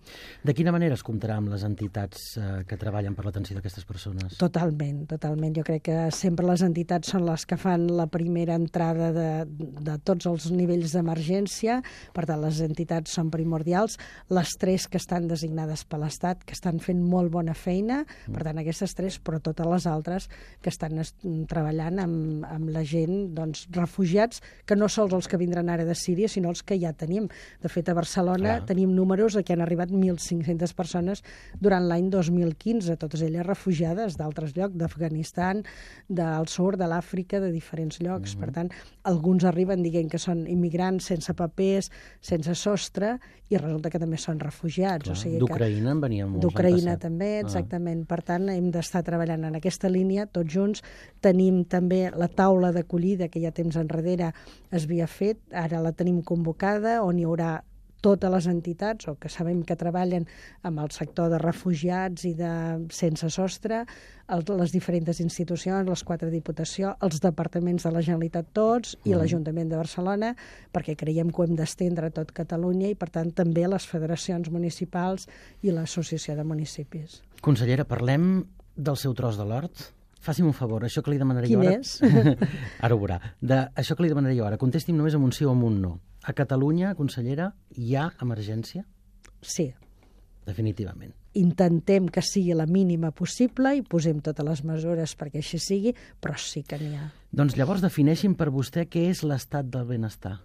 De quina manera es comptarà amb les entitats uh, que treballen per l'atenció d'aquestes persones?
Totalment, totalment. Jo crec que sempre les entitats són les que fan la primera entrada de, de tots els nivells d'emergència, per tant les entitats són primordials, les tres que estan designades per l'Estat, que estan fent molt bona feina, per tant aquestes tres, però totes les altres que estan treballant amb, amb la gent, doncs, refugiats, que no sols els que vindran ara de Síria, sinó els que ja tenim. De fet, a Barcelona Clar. tenim números de que han arribat mil cinc-centes persones durant l'any dos mil quinze, totes elles refugiades d'altres llocs, d'Afganistan, del sud, de l'Àfrica, de diferents llocs. Mm-hmm. Per tant, alguns arriben dient que són immigrants sense papers, sense sostre, i resulta que també són refugiats.
Clar,
o sigui
d'Ucraïna en venien molts.
D'Ucraïna també, exactament. Ah. Per tant, hem d'estar treballant en aquesta línia, tots junts. Tenim també la taula d'acollida, que ja temps enrere es havia fet, ara la tenim convocada, on hi haurà totes les entitats, o que sabem que treballen amb el sector de refugiats i de sense sostre, el, les diferents institucions, les quatre diputacions, els departaments de la Generalitat tots i mm. l'Ajuntament de Barcelona, perquè creiem que ho hem d'estendre a tot Catalunya i, per tant, també les federacions municipals i l'Associació de Municipis.
Consellera, parlem del seu tros de l'hort? Faci'm un favor, això que li demanaria
Quin
jo ara...
és?
Ara ho veurà. De, això que li demanaria jo ara, contesti'm només amb un sí o amb un no. A Catalunya, consellera, hi ha emergència?
Sí.
Definitivament.
Intentem que sigui la mínima possible i posem totes les mesures perquè així sigui, però sí que n'hi ha.
Doncs llavors defineixin per vostè què és l'estat del benestar.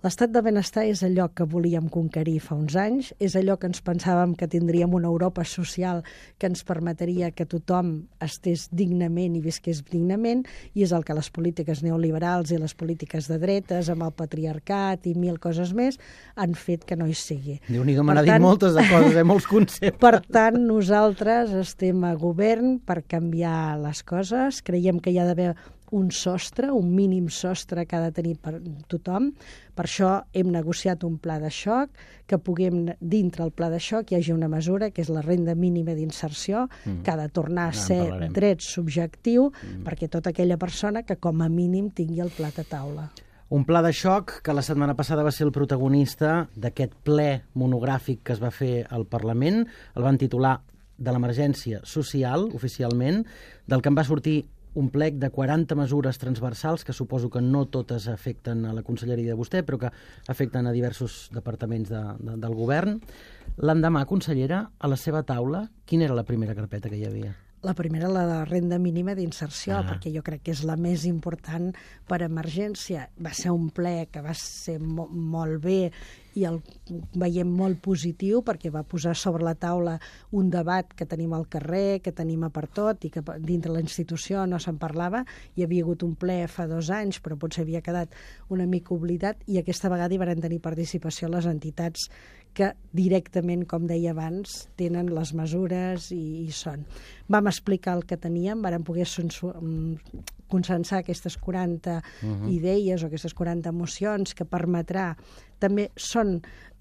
L'estat de benestar és allò que volíem conquerir fa uns anys, és allò que ens pensàvem que tindríem una Europa social que ens permetria que tothom estés dignament i visqués dignament, i és el que les polítiques neoliberals i les polítiques de dretes, amb el patriarcat i mil coses més, han fet que no hi sigui.
Déu-n'hi-do, me n'ha dit moltes de coses, eh, molts conceptes.
Per tant, nosaltres estem a govern per canviar les coses, creiem que hi ha d'haver un sostre, un mínim sostre que ha de tenir per tothom. Per això hem negociat un pla de xoc, que puguem, dintre el pla de xoc, hi hagi una mesura, que és la renda mínima d'inserció, mm. que ha de tornar a ser
ah,
dret subjectiu, mm. perquè tota aquella persona que com a mínim tingui el plat a taula.
Un pla de xoc que la setmana passada va ser el protagonista d'aquest ple monogràfic que es va fer al Parlament. El van titular de l'emergència social, oficialment, del que en va sortir un plec de quaranta mesures transversals que suposo que no totes afecten a la conselleria de vostè, però que afecten a diversos departaments de, de, del govern. L'endemà, consellera, a la seva taula, quina era la primera carpeta que hi havia?
La primera, la de renda mínima d'inserció,
ah.
perquè jo crec que és la més important per emergència. Va ser un ple que va ser mo molt bé i el veiem molt positiu perquè va posar sobre la taula un debat que tenim al carrer, que tenim a per tot i que dintre la institució no se'n parlava. Hi havia hagut un ple fa dos anys, però potser havia quedat una mica oblidat, i aquesta vegada hi van tenir participació les entitats que directament, com deia abans, tenen les mesures i, i són. Vam explicar el que teníem, vam poder consensar aquestes quaranta uh-huh. idees o aquestes quaranta mocions que permetrà, també són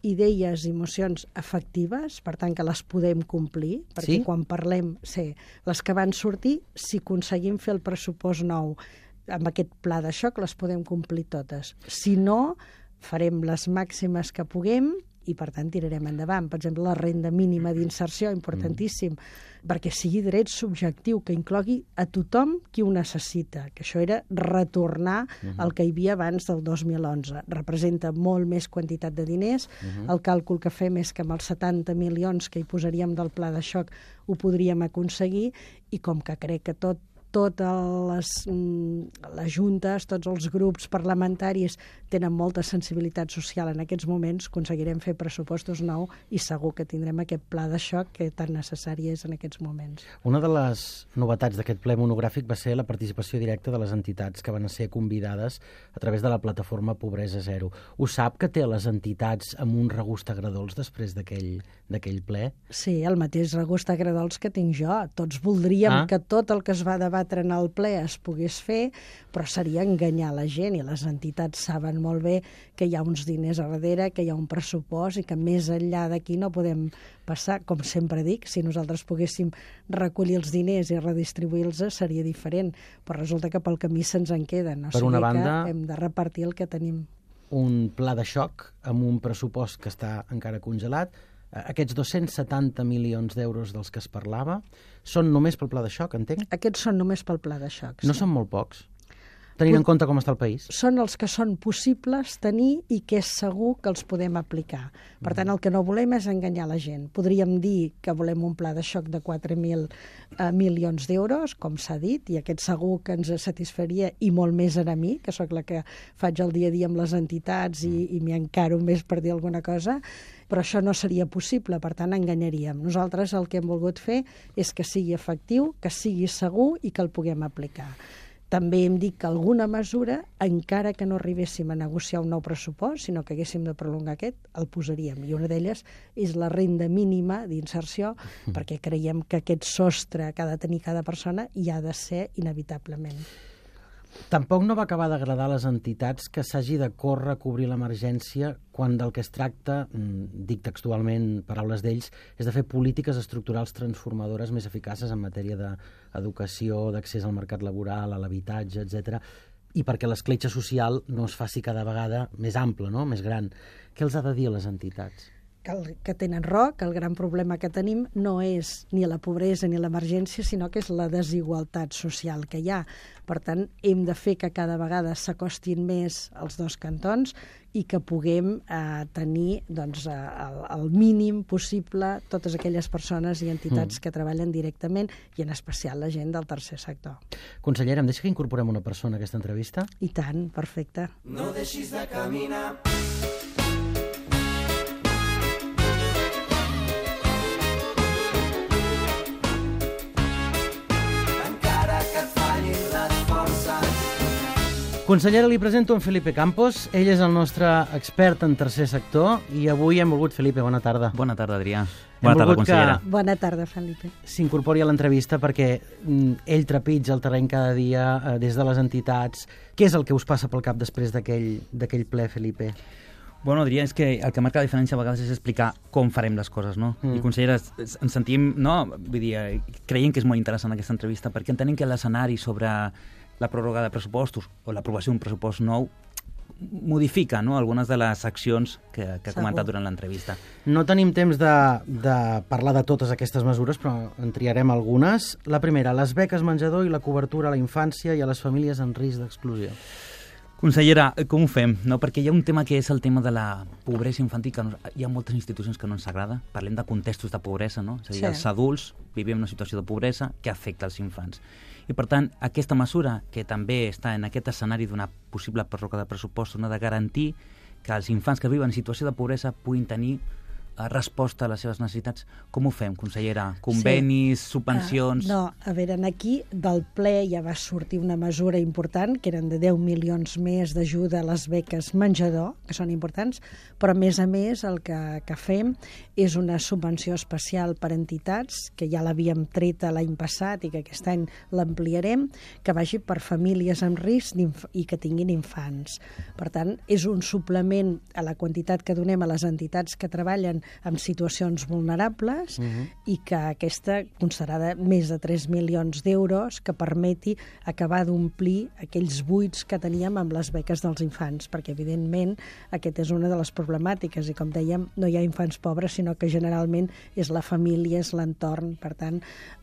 idees i mocions efectives, per tant que les podem complir, perquè
sí?
quan parlem, sí, les que van sortir, si aconseguim fer el pressupost nou amb aquest pla de xoc, les podem complir totes. Si no, farem les màximes que puguem i, per tant, tirarem endavant. Per exemple, la renda mínima d'inserció, importantíssim, mm. perquè sigui dret subjectiu, que inclogui a tothom qui ho necessita, que això era retornar mm-hmm. al que hi havia abans del dos mil onze. Representa molt més quantitat de diners. Mm-hmm. El càlcul que fem és que amb els setanta milions que hi posaríem del pla de xoc ho podríem aconseguir, i com que crec que tot totes les, les juntes, tots els grups parlamentaris tenen molta sensibilitat social en aquests moments, aconseguirem fer pressupostos nou i segur que tindrem aquest pla de xoc que tan necessari és en aquests moments.
Una de les novetats d'aquest ple monogràfic va ser la participació directa de les entitats que van ser convidades a través de la plataforma Pobresa Zero. Ho sap que té les entitats amb un regust agradols després d'aquell d'aquell ple?
Sí, el mateix regust agradols que tinc jo. Tots voldríem ah. que tot el que es va debatre en el ple es pogués fer, però seria enganyar la gent, i les entitats saben molt bé que hi ha uns diners a darrere, que hi ha un pressupost i que més enllà d'aquí no podem passar. Com sempre dic, si nosaltres poguéssim recollir els diners i redistribuir-los seria diferent, però resulta que pel camí se'ns en queden. O
per
sigui
una banda,
que hem de repartir el que tenim.
Un pla de xoc amb un pressupost que està encara congelat. Aquests dos-cents setanta milions d'euros dels que es parlava són només pel pla de xoc, entenc?
Aquests són només pel pla de xoc.
No
sí.
són molt pocs? tenint en compte com està el país.
Són els que són possibles tenir i que és segur que els podem aplicar. Per tant, el que no volem és enganyar la gent. Podríem dir que volem un pla de xoc de quatre mil eh, milions d'euros, com s'ha dit, i aquest segur que ens satisfaria, i molt més a mi, que sóc la que faig el dia a dia amb les entitats i, i m'hi encaro més per dir alguna cosa, però això no seria possible, per tant enganyaríem. Nosaltres el que hem volgut fer és que sigui efectiu, que sigui segur i que el puguem aplicar. També hem dit que alguna mesura, encara que no arribéssim a negociar un nou pressupost, sinó que haguéssim de prolongar aquest, el posaríem. I una d'elles és la renda mínima d'inserció, perquè creiem que aquest sostre que ha de tenir cada persona hi ha de ser inevitablement.
Tampoc no va acabar d'agradar a les entitats que s'hagi de córrer a cobrir l'emergència quan del que es tracta, dic textualment paraules d'ells, és de fer polítiques estructurals transformadores més eficaces en matèria d'educació, d'accés al mercat laboral, a l'habitatge, etcètera, i perquè l'escletxa social no es faci cada vegada més ample, no? Més gran. Què els ha de dir a les entitats?
Que, el, que tenen raó, que el gran problema que tenim no és ni la pobresa ni l'emergència, sinó que és la desigualtat social que hi ha. Per tant, hem de fer que cada vegada s'acostin més els dos cantons i que puguem eh, tenir doncs, el, el mínim possible totes aquelles persones i entitats mm. que treballen directament i en especial la gent del tercer sector.
Consellera, em deixa que incorporem una persona a aquesta entrevista?
I tant, perfecte.
No deixis de caminar.
Consellera, li presento en Felipe Campos. Ell és el nostre expert en tercer sector i avui hem volgut, Felipe, bona tarda.
Bona tarda, Adrià. Bona tarda, consellera.
Que... Bona tarda, Felipe.
S'incorpori a l'entrevista perquè ell trepitja el terreny cada dia eh, des de les entitats. Què és el que us passa pel cap després d'aquell ple, Felipe?
Bueno, Adrià, és que el que marca la diferència a vegades és explicar com farem les coses, no? Mm. I, consellera, ens sentim, no? Vull dir, creiem que és molt interessant aquesta entrevista perquè entenem que l'escenari sobre la pròrroga de pressupostos o l'aprovació d'un pressupost nou modifica, no?, algunes de les accions que, que ha comentat durant l'entrevista.
No tenim temps de, de parlar de totes aquestes mesures, però en triarem algunes. La primera, les beques menjador i la cobertura a la infància i a les famílies en risc d'exclusió.
Consellera, com ho fem? No, perquè hi ha un tema que és el tema de la pobresa infantil, que no, hi ha moltes institucions que no ens agrada. Parlem de contextos de pobresa, no? És a dir, sí. Els adults vivim una situació de pobresa que afecta els infants. I, per tant, aquesta mesura, que també està en aquest escenari d'una possible pròrroga de pressupostos, no, de garantir que els infants que viuen en situació de pobresa puguin tenir uh, resposta a les seves necessitats. Com ho fem, consellera? Convenis, sí. subvencions...
Uh, no, a veure, aquí del ple ja va sortir una mesura important, que eren de deu milions més d'ajuda a les beques menjador, que són importants, però a més a més el que, que fem és una subvenció especial per entitats, que ja l'havíem treta l'any passat i que aquest any l'ampliarem, que vagi per famílies en risc i que tinguin infants. Per tant, és un suplement a la quantitat que donem a les entitats que treballen en situacions vulnerables uh-huh. i que aquesta constarà de més de tres milions d'euros que permeti acabar d'omplir aquells buits que teníem amb les beques dels infants, perquè evidentment aquesta és una de les problemàtiques i com dèiem no hi ha infants pobres sinó que generalment és la família, és l'entorn. Per tant,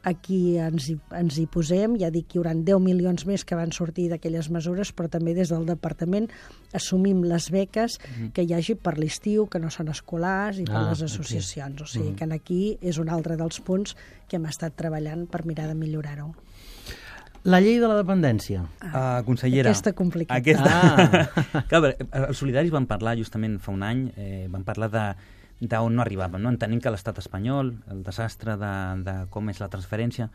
aquí ens hi, ens hi posem, ja dic que hi haurà deu milions més que van sortir d'aquelles mesures, però també des del departament assumim les beques uh-huh. que hi hagi per l'estiu, que no són escolars i per ah, les associacions. Okay. O sigui que aquí és un altre dels punts que hem estat treballant per mirar de millorar-ho.
La llei de la dependència.
Ah, uh, consellera.
Aquesta complicada.
Aquesta... Ah. Clar, els solidaris van parlar justament fa un any, eh, van parlar de d'on no arribàvem, no? Entenem que l'estat espanyol, el desastre de, de com és la transferència,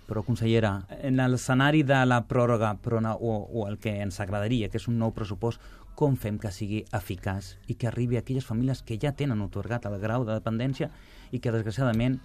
però, consellera, en l'escenari de la pròrroga però no, o, o el que ens agradaria, que és un nou pressupost, com fem que sigui eficaç i que arribi a aquelles famílies que ja tenen otorgat el grau de dependència i que, desgraciadament,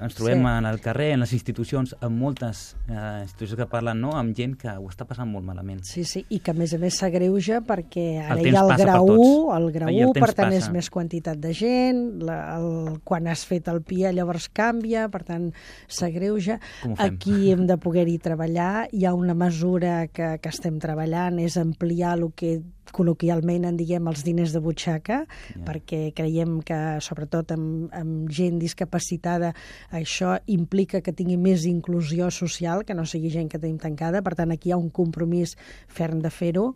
ens trobem sí. en el carrer, en les institucions, amb moltes eh, institucions que parlen, no?, amb gent que ho està passant molt malament.
Sí, sí, i que a més a més s'agreuja perquè ara hi ha el grau u, el grau u, per tant passa. És més quantitat de gent, la, el, quan has fet el P I A llavors canvia, per tant s'agreuja. Aquí hem de poder-hi treballar, hi ha una mesura que, que estem treballant, és ampliar el que col·loquialment en diguem els diners de butxaca,
Yeah.
perquè creiem que, sobretot amb, amb gent discapacitada, això implica que tingui més inclusió social, que no sigui gent que tenim tancada. Per tant, aquí hi ha un compromís ferm de fer-ho.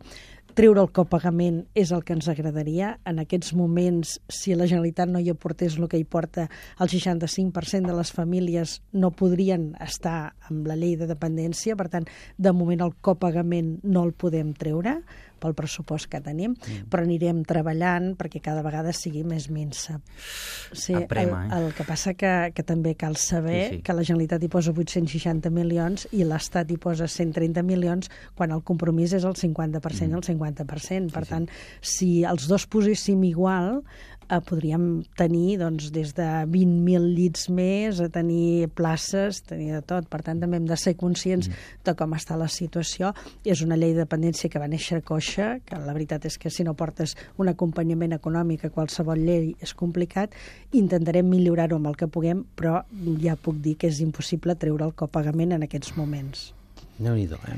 Treure el copagament és el que ens agradaria. En aquests moments, si la Generalitat no hi aportés el que hi porta, el seixanta-cinc per cent de les famílies no podrien estar amb la llei de dependència. Per tant, de moment el copagament no el podem treure pel pressupost que tenim, mm. però anirem treballant perquè cada vegada sigui més minsa. Sí,
Aprema,
el, el que passa que, que també cal saber
sí, sí.
que la Generalitat hi posa vuit-cents seixanta milions i l'Estat hi posa cent trenta milions, quan el compromís és el cinquanta per cent i el cinquanta per cent. Per
Sí, sí.
tant, si els dos poséssim igual, eh, podríem tenir doncs, des de vint mil llits més a tenir places, tenir de tot. Per tant, també hem de ser conscients mm. de com està la situació. És una llei de dependència que va néixer coixa, que la veritat és que si no portes un acompanyament econòmic a qualsevol llei és complicat. Intentarem millorar-ho amb el que puguem, però ja puc dir que és impossible treure el copagament en aquests moments.
Déu-n'hi-do, eh?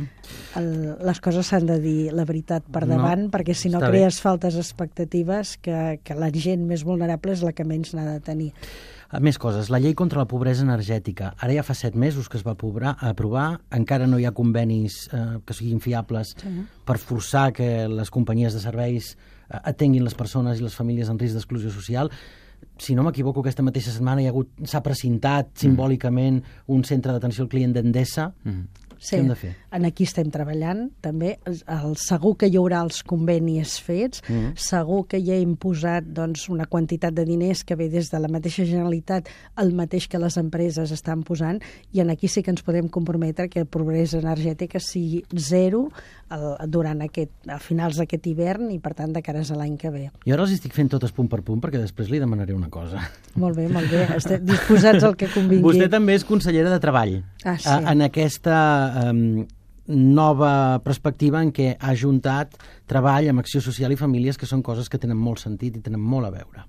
El, les coses s'han de dir la veritat per davant,
No,
perquè si no
està
crees faltes expectatives que, que la gent més vulnerable és la que menys n'ha de tenir.
A més coses, la llei contra la pobresa energètica. Ara ja fa set mesos que es va aprovar, aprovar encara no hi ha convenis eh, que siguin fiables
Sí.
per forçar que les companyies de serveis eh, atenguin les persones i les famílies en risc d'exclusió social. Si no m'equivoco, aquesta mateixa setmana hi ha hagut, s'ha precintat simbòlicament un centre d'atenció al client d'Endesa.
Mm.
Sí,
Què hem de fer?
en aquí estem treballant també. El, segur que hi haurà els convenis fets,
Mm.
segur que ja hem posat doncs, una quantitat de diners que ve des de la mateixa Generalitat, el mateix que les empreses estan posant, i en aquí sí que ens podem comprometre que el progrés energètica sigui zero el, durant aquest, a finals d'aquest hivern i per tant de cares a l'any que ve.
Jo ara els estic fent totes punt per punt perquè després li demanaré una cosa.
Molt bé, molt bé. Estem disposats al que convingui.
Vostè també és consellera de Treball.
Ah, sí.
eh, en aquesta eh, nova perspectiva en què ha ajuntat treball amb acció social i famílies, que són coses que tenen molt sentit i tenen molt a veure.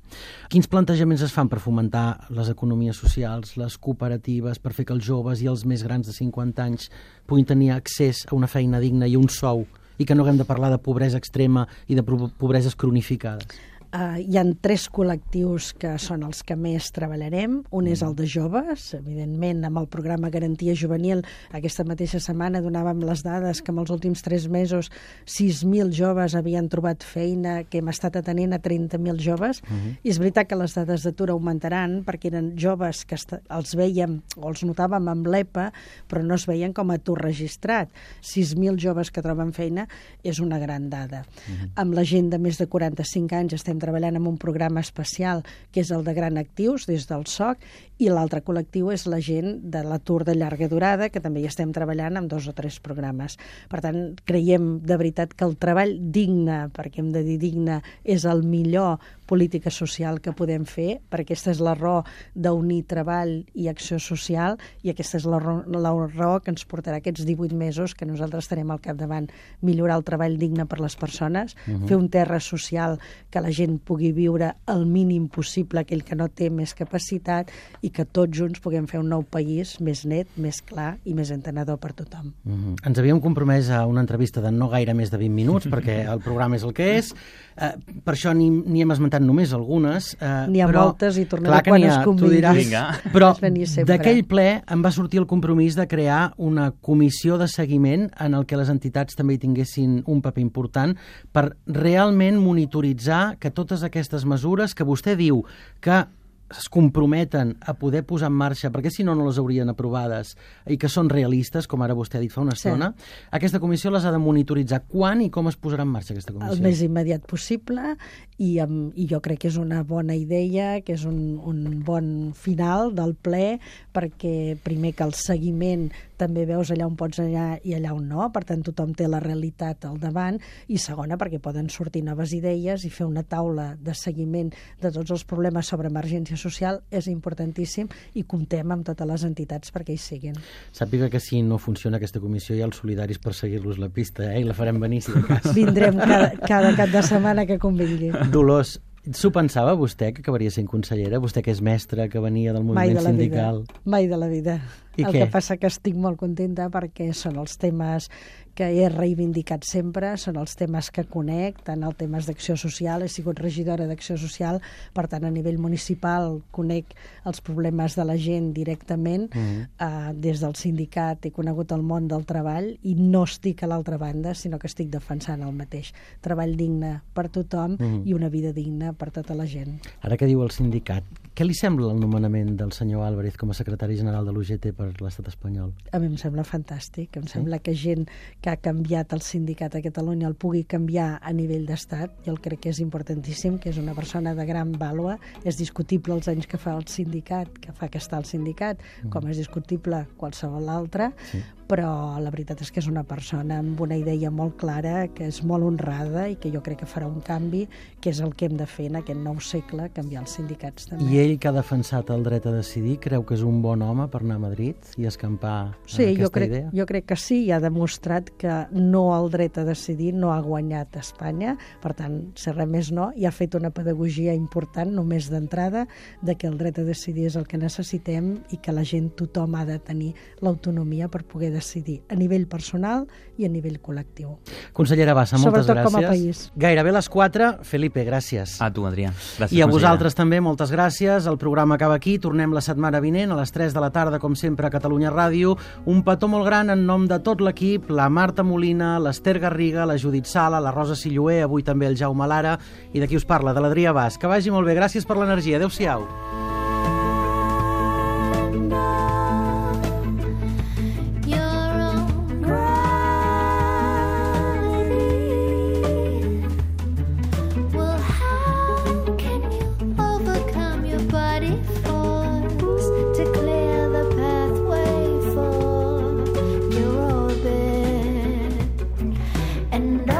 Quins plantejaments es fan per fomentar les economies socials, les cooperatives, per fer que els joves i els més grans de cinquanta anys puguin tenir accés a una feina digna i un sou, i que no haguem de parlar de pobresa extrema i de pobreses cronificades?
Uh, hi ha tres col·lectius que són els que més treballarem. Un és el de joves, evidentment, amb el programa Garantia Juvenil. Aquesta mateixa setmana donàvem les dades que en els últims tres mesos sis mil joves havien trobat feina, que hem estat atenent a trenta mil joves. Uh-huh. I és veritat que les dades d'atur augmentaran, perquè eren joves que els veiem o els notàvem amb l'E P A, però no es veien com a atur registrat. sis mil joves que troben feina és una gran dada. Uh-huh. Amb la gent de més de quaranta-cinc anys estem treballant en un programa especial que és el de Gran Actius des del S O C, i l'altre col·lectiu és la gent de l'atur de llarga durada, que també hi estem treballant amb dos o tres programes. Per tant, creiem de veritat que el treball digne, perquè hem de dir digne, és el millor política social que podem fer, perquè aquesta és la raó d'unir treball i acció social, i aquesta és la raó, la raó que ens portarà aquests divuit mesos que nosaltres estarem al capdavant: millorar el treball digne per les persones, uh-huh. fer un terra social que la gent pugui viure el mínim possible, aquell que no té més capacitat, i que tots junts puguem fer un nou país més net, més clar i més entenedor per tothom.
Uh-huh. Ens havíem compromès a una entrevista de no gaire més de vint minuts, perquè el programa és el que és. Uh, per això n'hi hem esmentat només algunes. Uh,
n'hi ha
però,
moltes i tornem
clar
a quan
ha,
es convingui.
Vinga.
Però d'aquell ple em va sortir el compromís de crear una comissió de seguiment en el que les entitats també hi tinguessin un paper important per realment monitoritzar que totes aquestes mesures que vostè diu que es comprometen a poder posar en marxa, perquè si no, no les haurien aprovades, i que són realistes, com ara vostè ha dit fa una estona, sí. Aquesta comissió les ha de monitoritzar. Quan i com es posarà en marxa aquesta comissió?
El més immediat possible, i, um, i jo crec que és una bona idea, que és un, un bon final del ple, perquè primer que el seguiment també veus allà on pots anar i allà on no, per tant tothom té la realitat al davant, i segona perquè poden sortir noves idees i fer una taula de seguiment de tots els problemes sobre emergència social és importantíssim, i comptem amb totes les entitats perquè hi siguin.
Sàpiga que si no funciona aquesta comissió hi ha els solidaris per seguir-los la pista, eh? I la farem venir si de cas.
Vindrem cada, cada cap de setmana que convingui.
Dolors, s'ho pensava vostè que acabaria sent consellera? Vostè que és mestra, que venia del moviment
Mai de
sindical.
Vida. Mai de la vida.
I
el
què?
que passa que estic molt contenta perquè són els temes que he reivindicat sempre, són els temes que conec, tant els temes d'acció social, he sigut regidora d'acció social, per tant a nivell municipal conec els problemes de la gent directament, mm-hmm. eh, des del sindicat he conegut el món del treball i no estic a l'altra banda, sinó que estic defensant el mateix. Treball digne per tothom mm-hmm. i una vida digna per tota la gent.
Ara que diu el sindicat, què li sembla el nomenament del senyor Álvarez com a secretari general de l'U G T per l'estat espanyol?
A mi em sembla fantàstic, em
sí?
sembla que gent que ha canviat el sindicat a Catalunya el pugui canviar a nivell d'estat. Jo el crec que és importantíssim, que és una persona de gran vàlua. És discutible els anys que fa el sindicat, que fa que està al sindicat, mm. com és discutible qualsevol altre, sí. però la veritat és que és una persona amb una idea molt clara, que és molt honrada i que jo crec que farà un canvi, que és el que hem de fer en aquest nou segle, canviar els sindicats també.
I ell, que ha defensat el dret a decidir, creu que és un bon home per anar a Madrid i escampar
sí,
aquesta
jo crec,
idea?
Jo crec que sí, i ha demostrat que no el dret a decidir no ha guanyat a Espanya, per tant, ser res més no, i ha fet una pedagogia important només d'entrada de que el dret a decidir és el que necessitem i que la gent, tothom ha de tenir l'autonomia per poder decidir a nivell personal i a nivell col·lectiu.
Consellera Bassa, moltes
Sobretot
gràcies.
Com a país.
Gairebé les quatre. Felipe, gràcies.
A tu, Adrià. Gràcies,
I a
consellera.
vosaltres també, moltes gràcies. El programa acaba aquí. Tornem la setmana vinent a les tres de la tarda, com sempre, a Catalunya Ràdio. Un petó molt gran en nom de tot l'equip, la Marta Molina, l'Ester Garriga, la Judit Sala, la Rosa Silloé, avui també el Jaume Lara, i de qui us parla, de l'Adrià Bas. Que vagi molt bé. Gràcies per l'energia. Adéu-siau.
And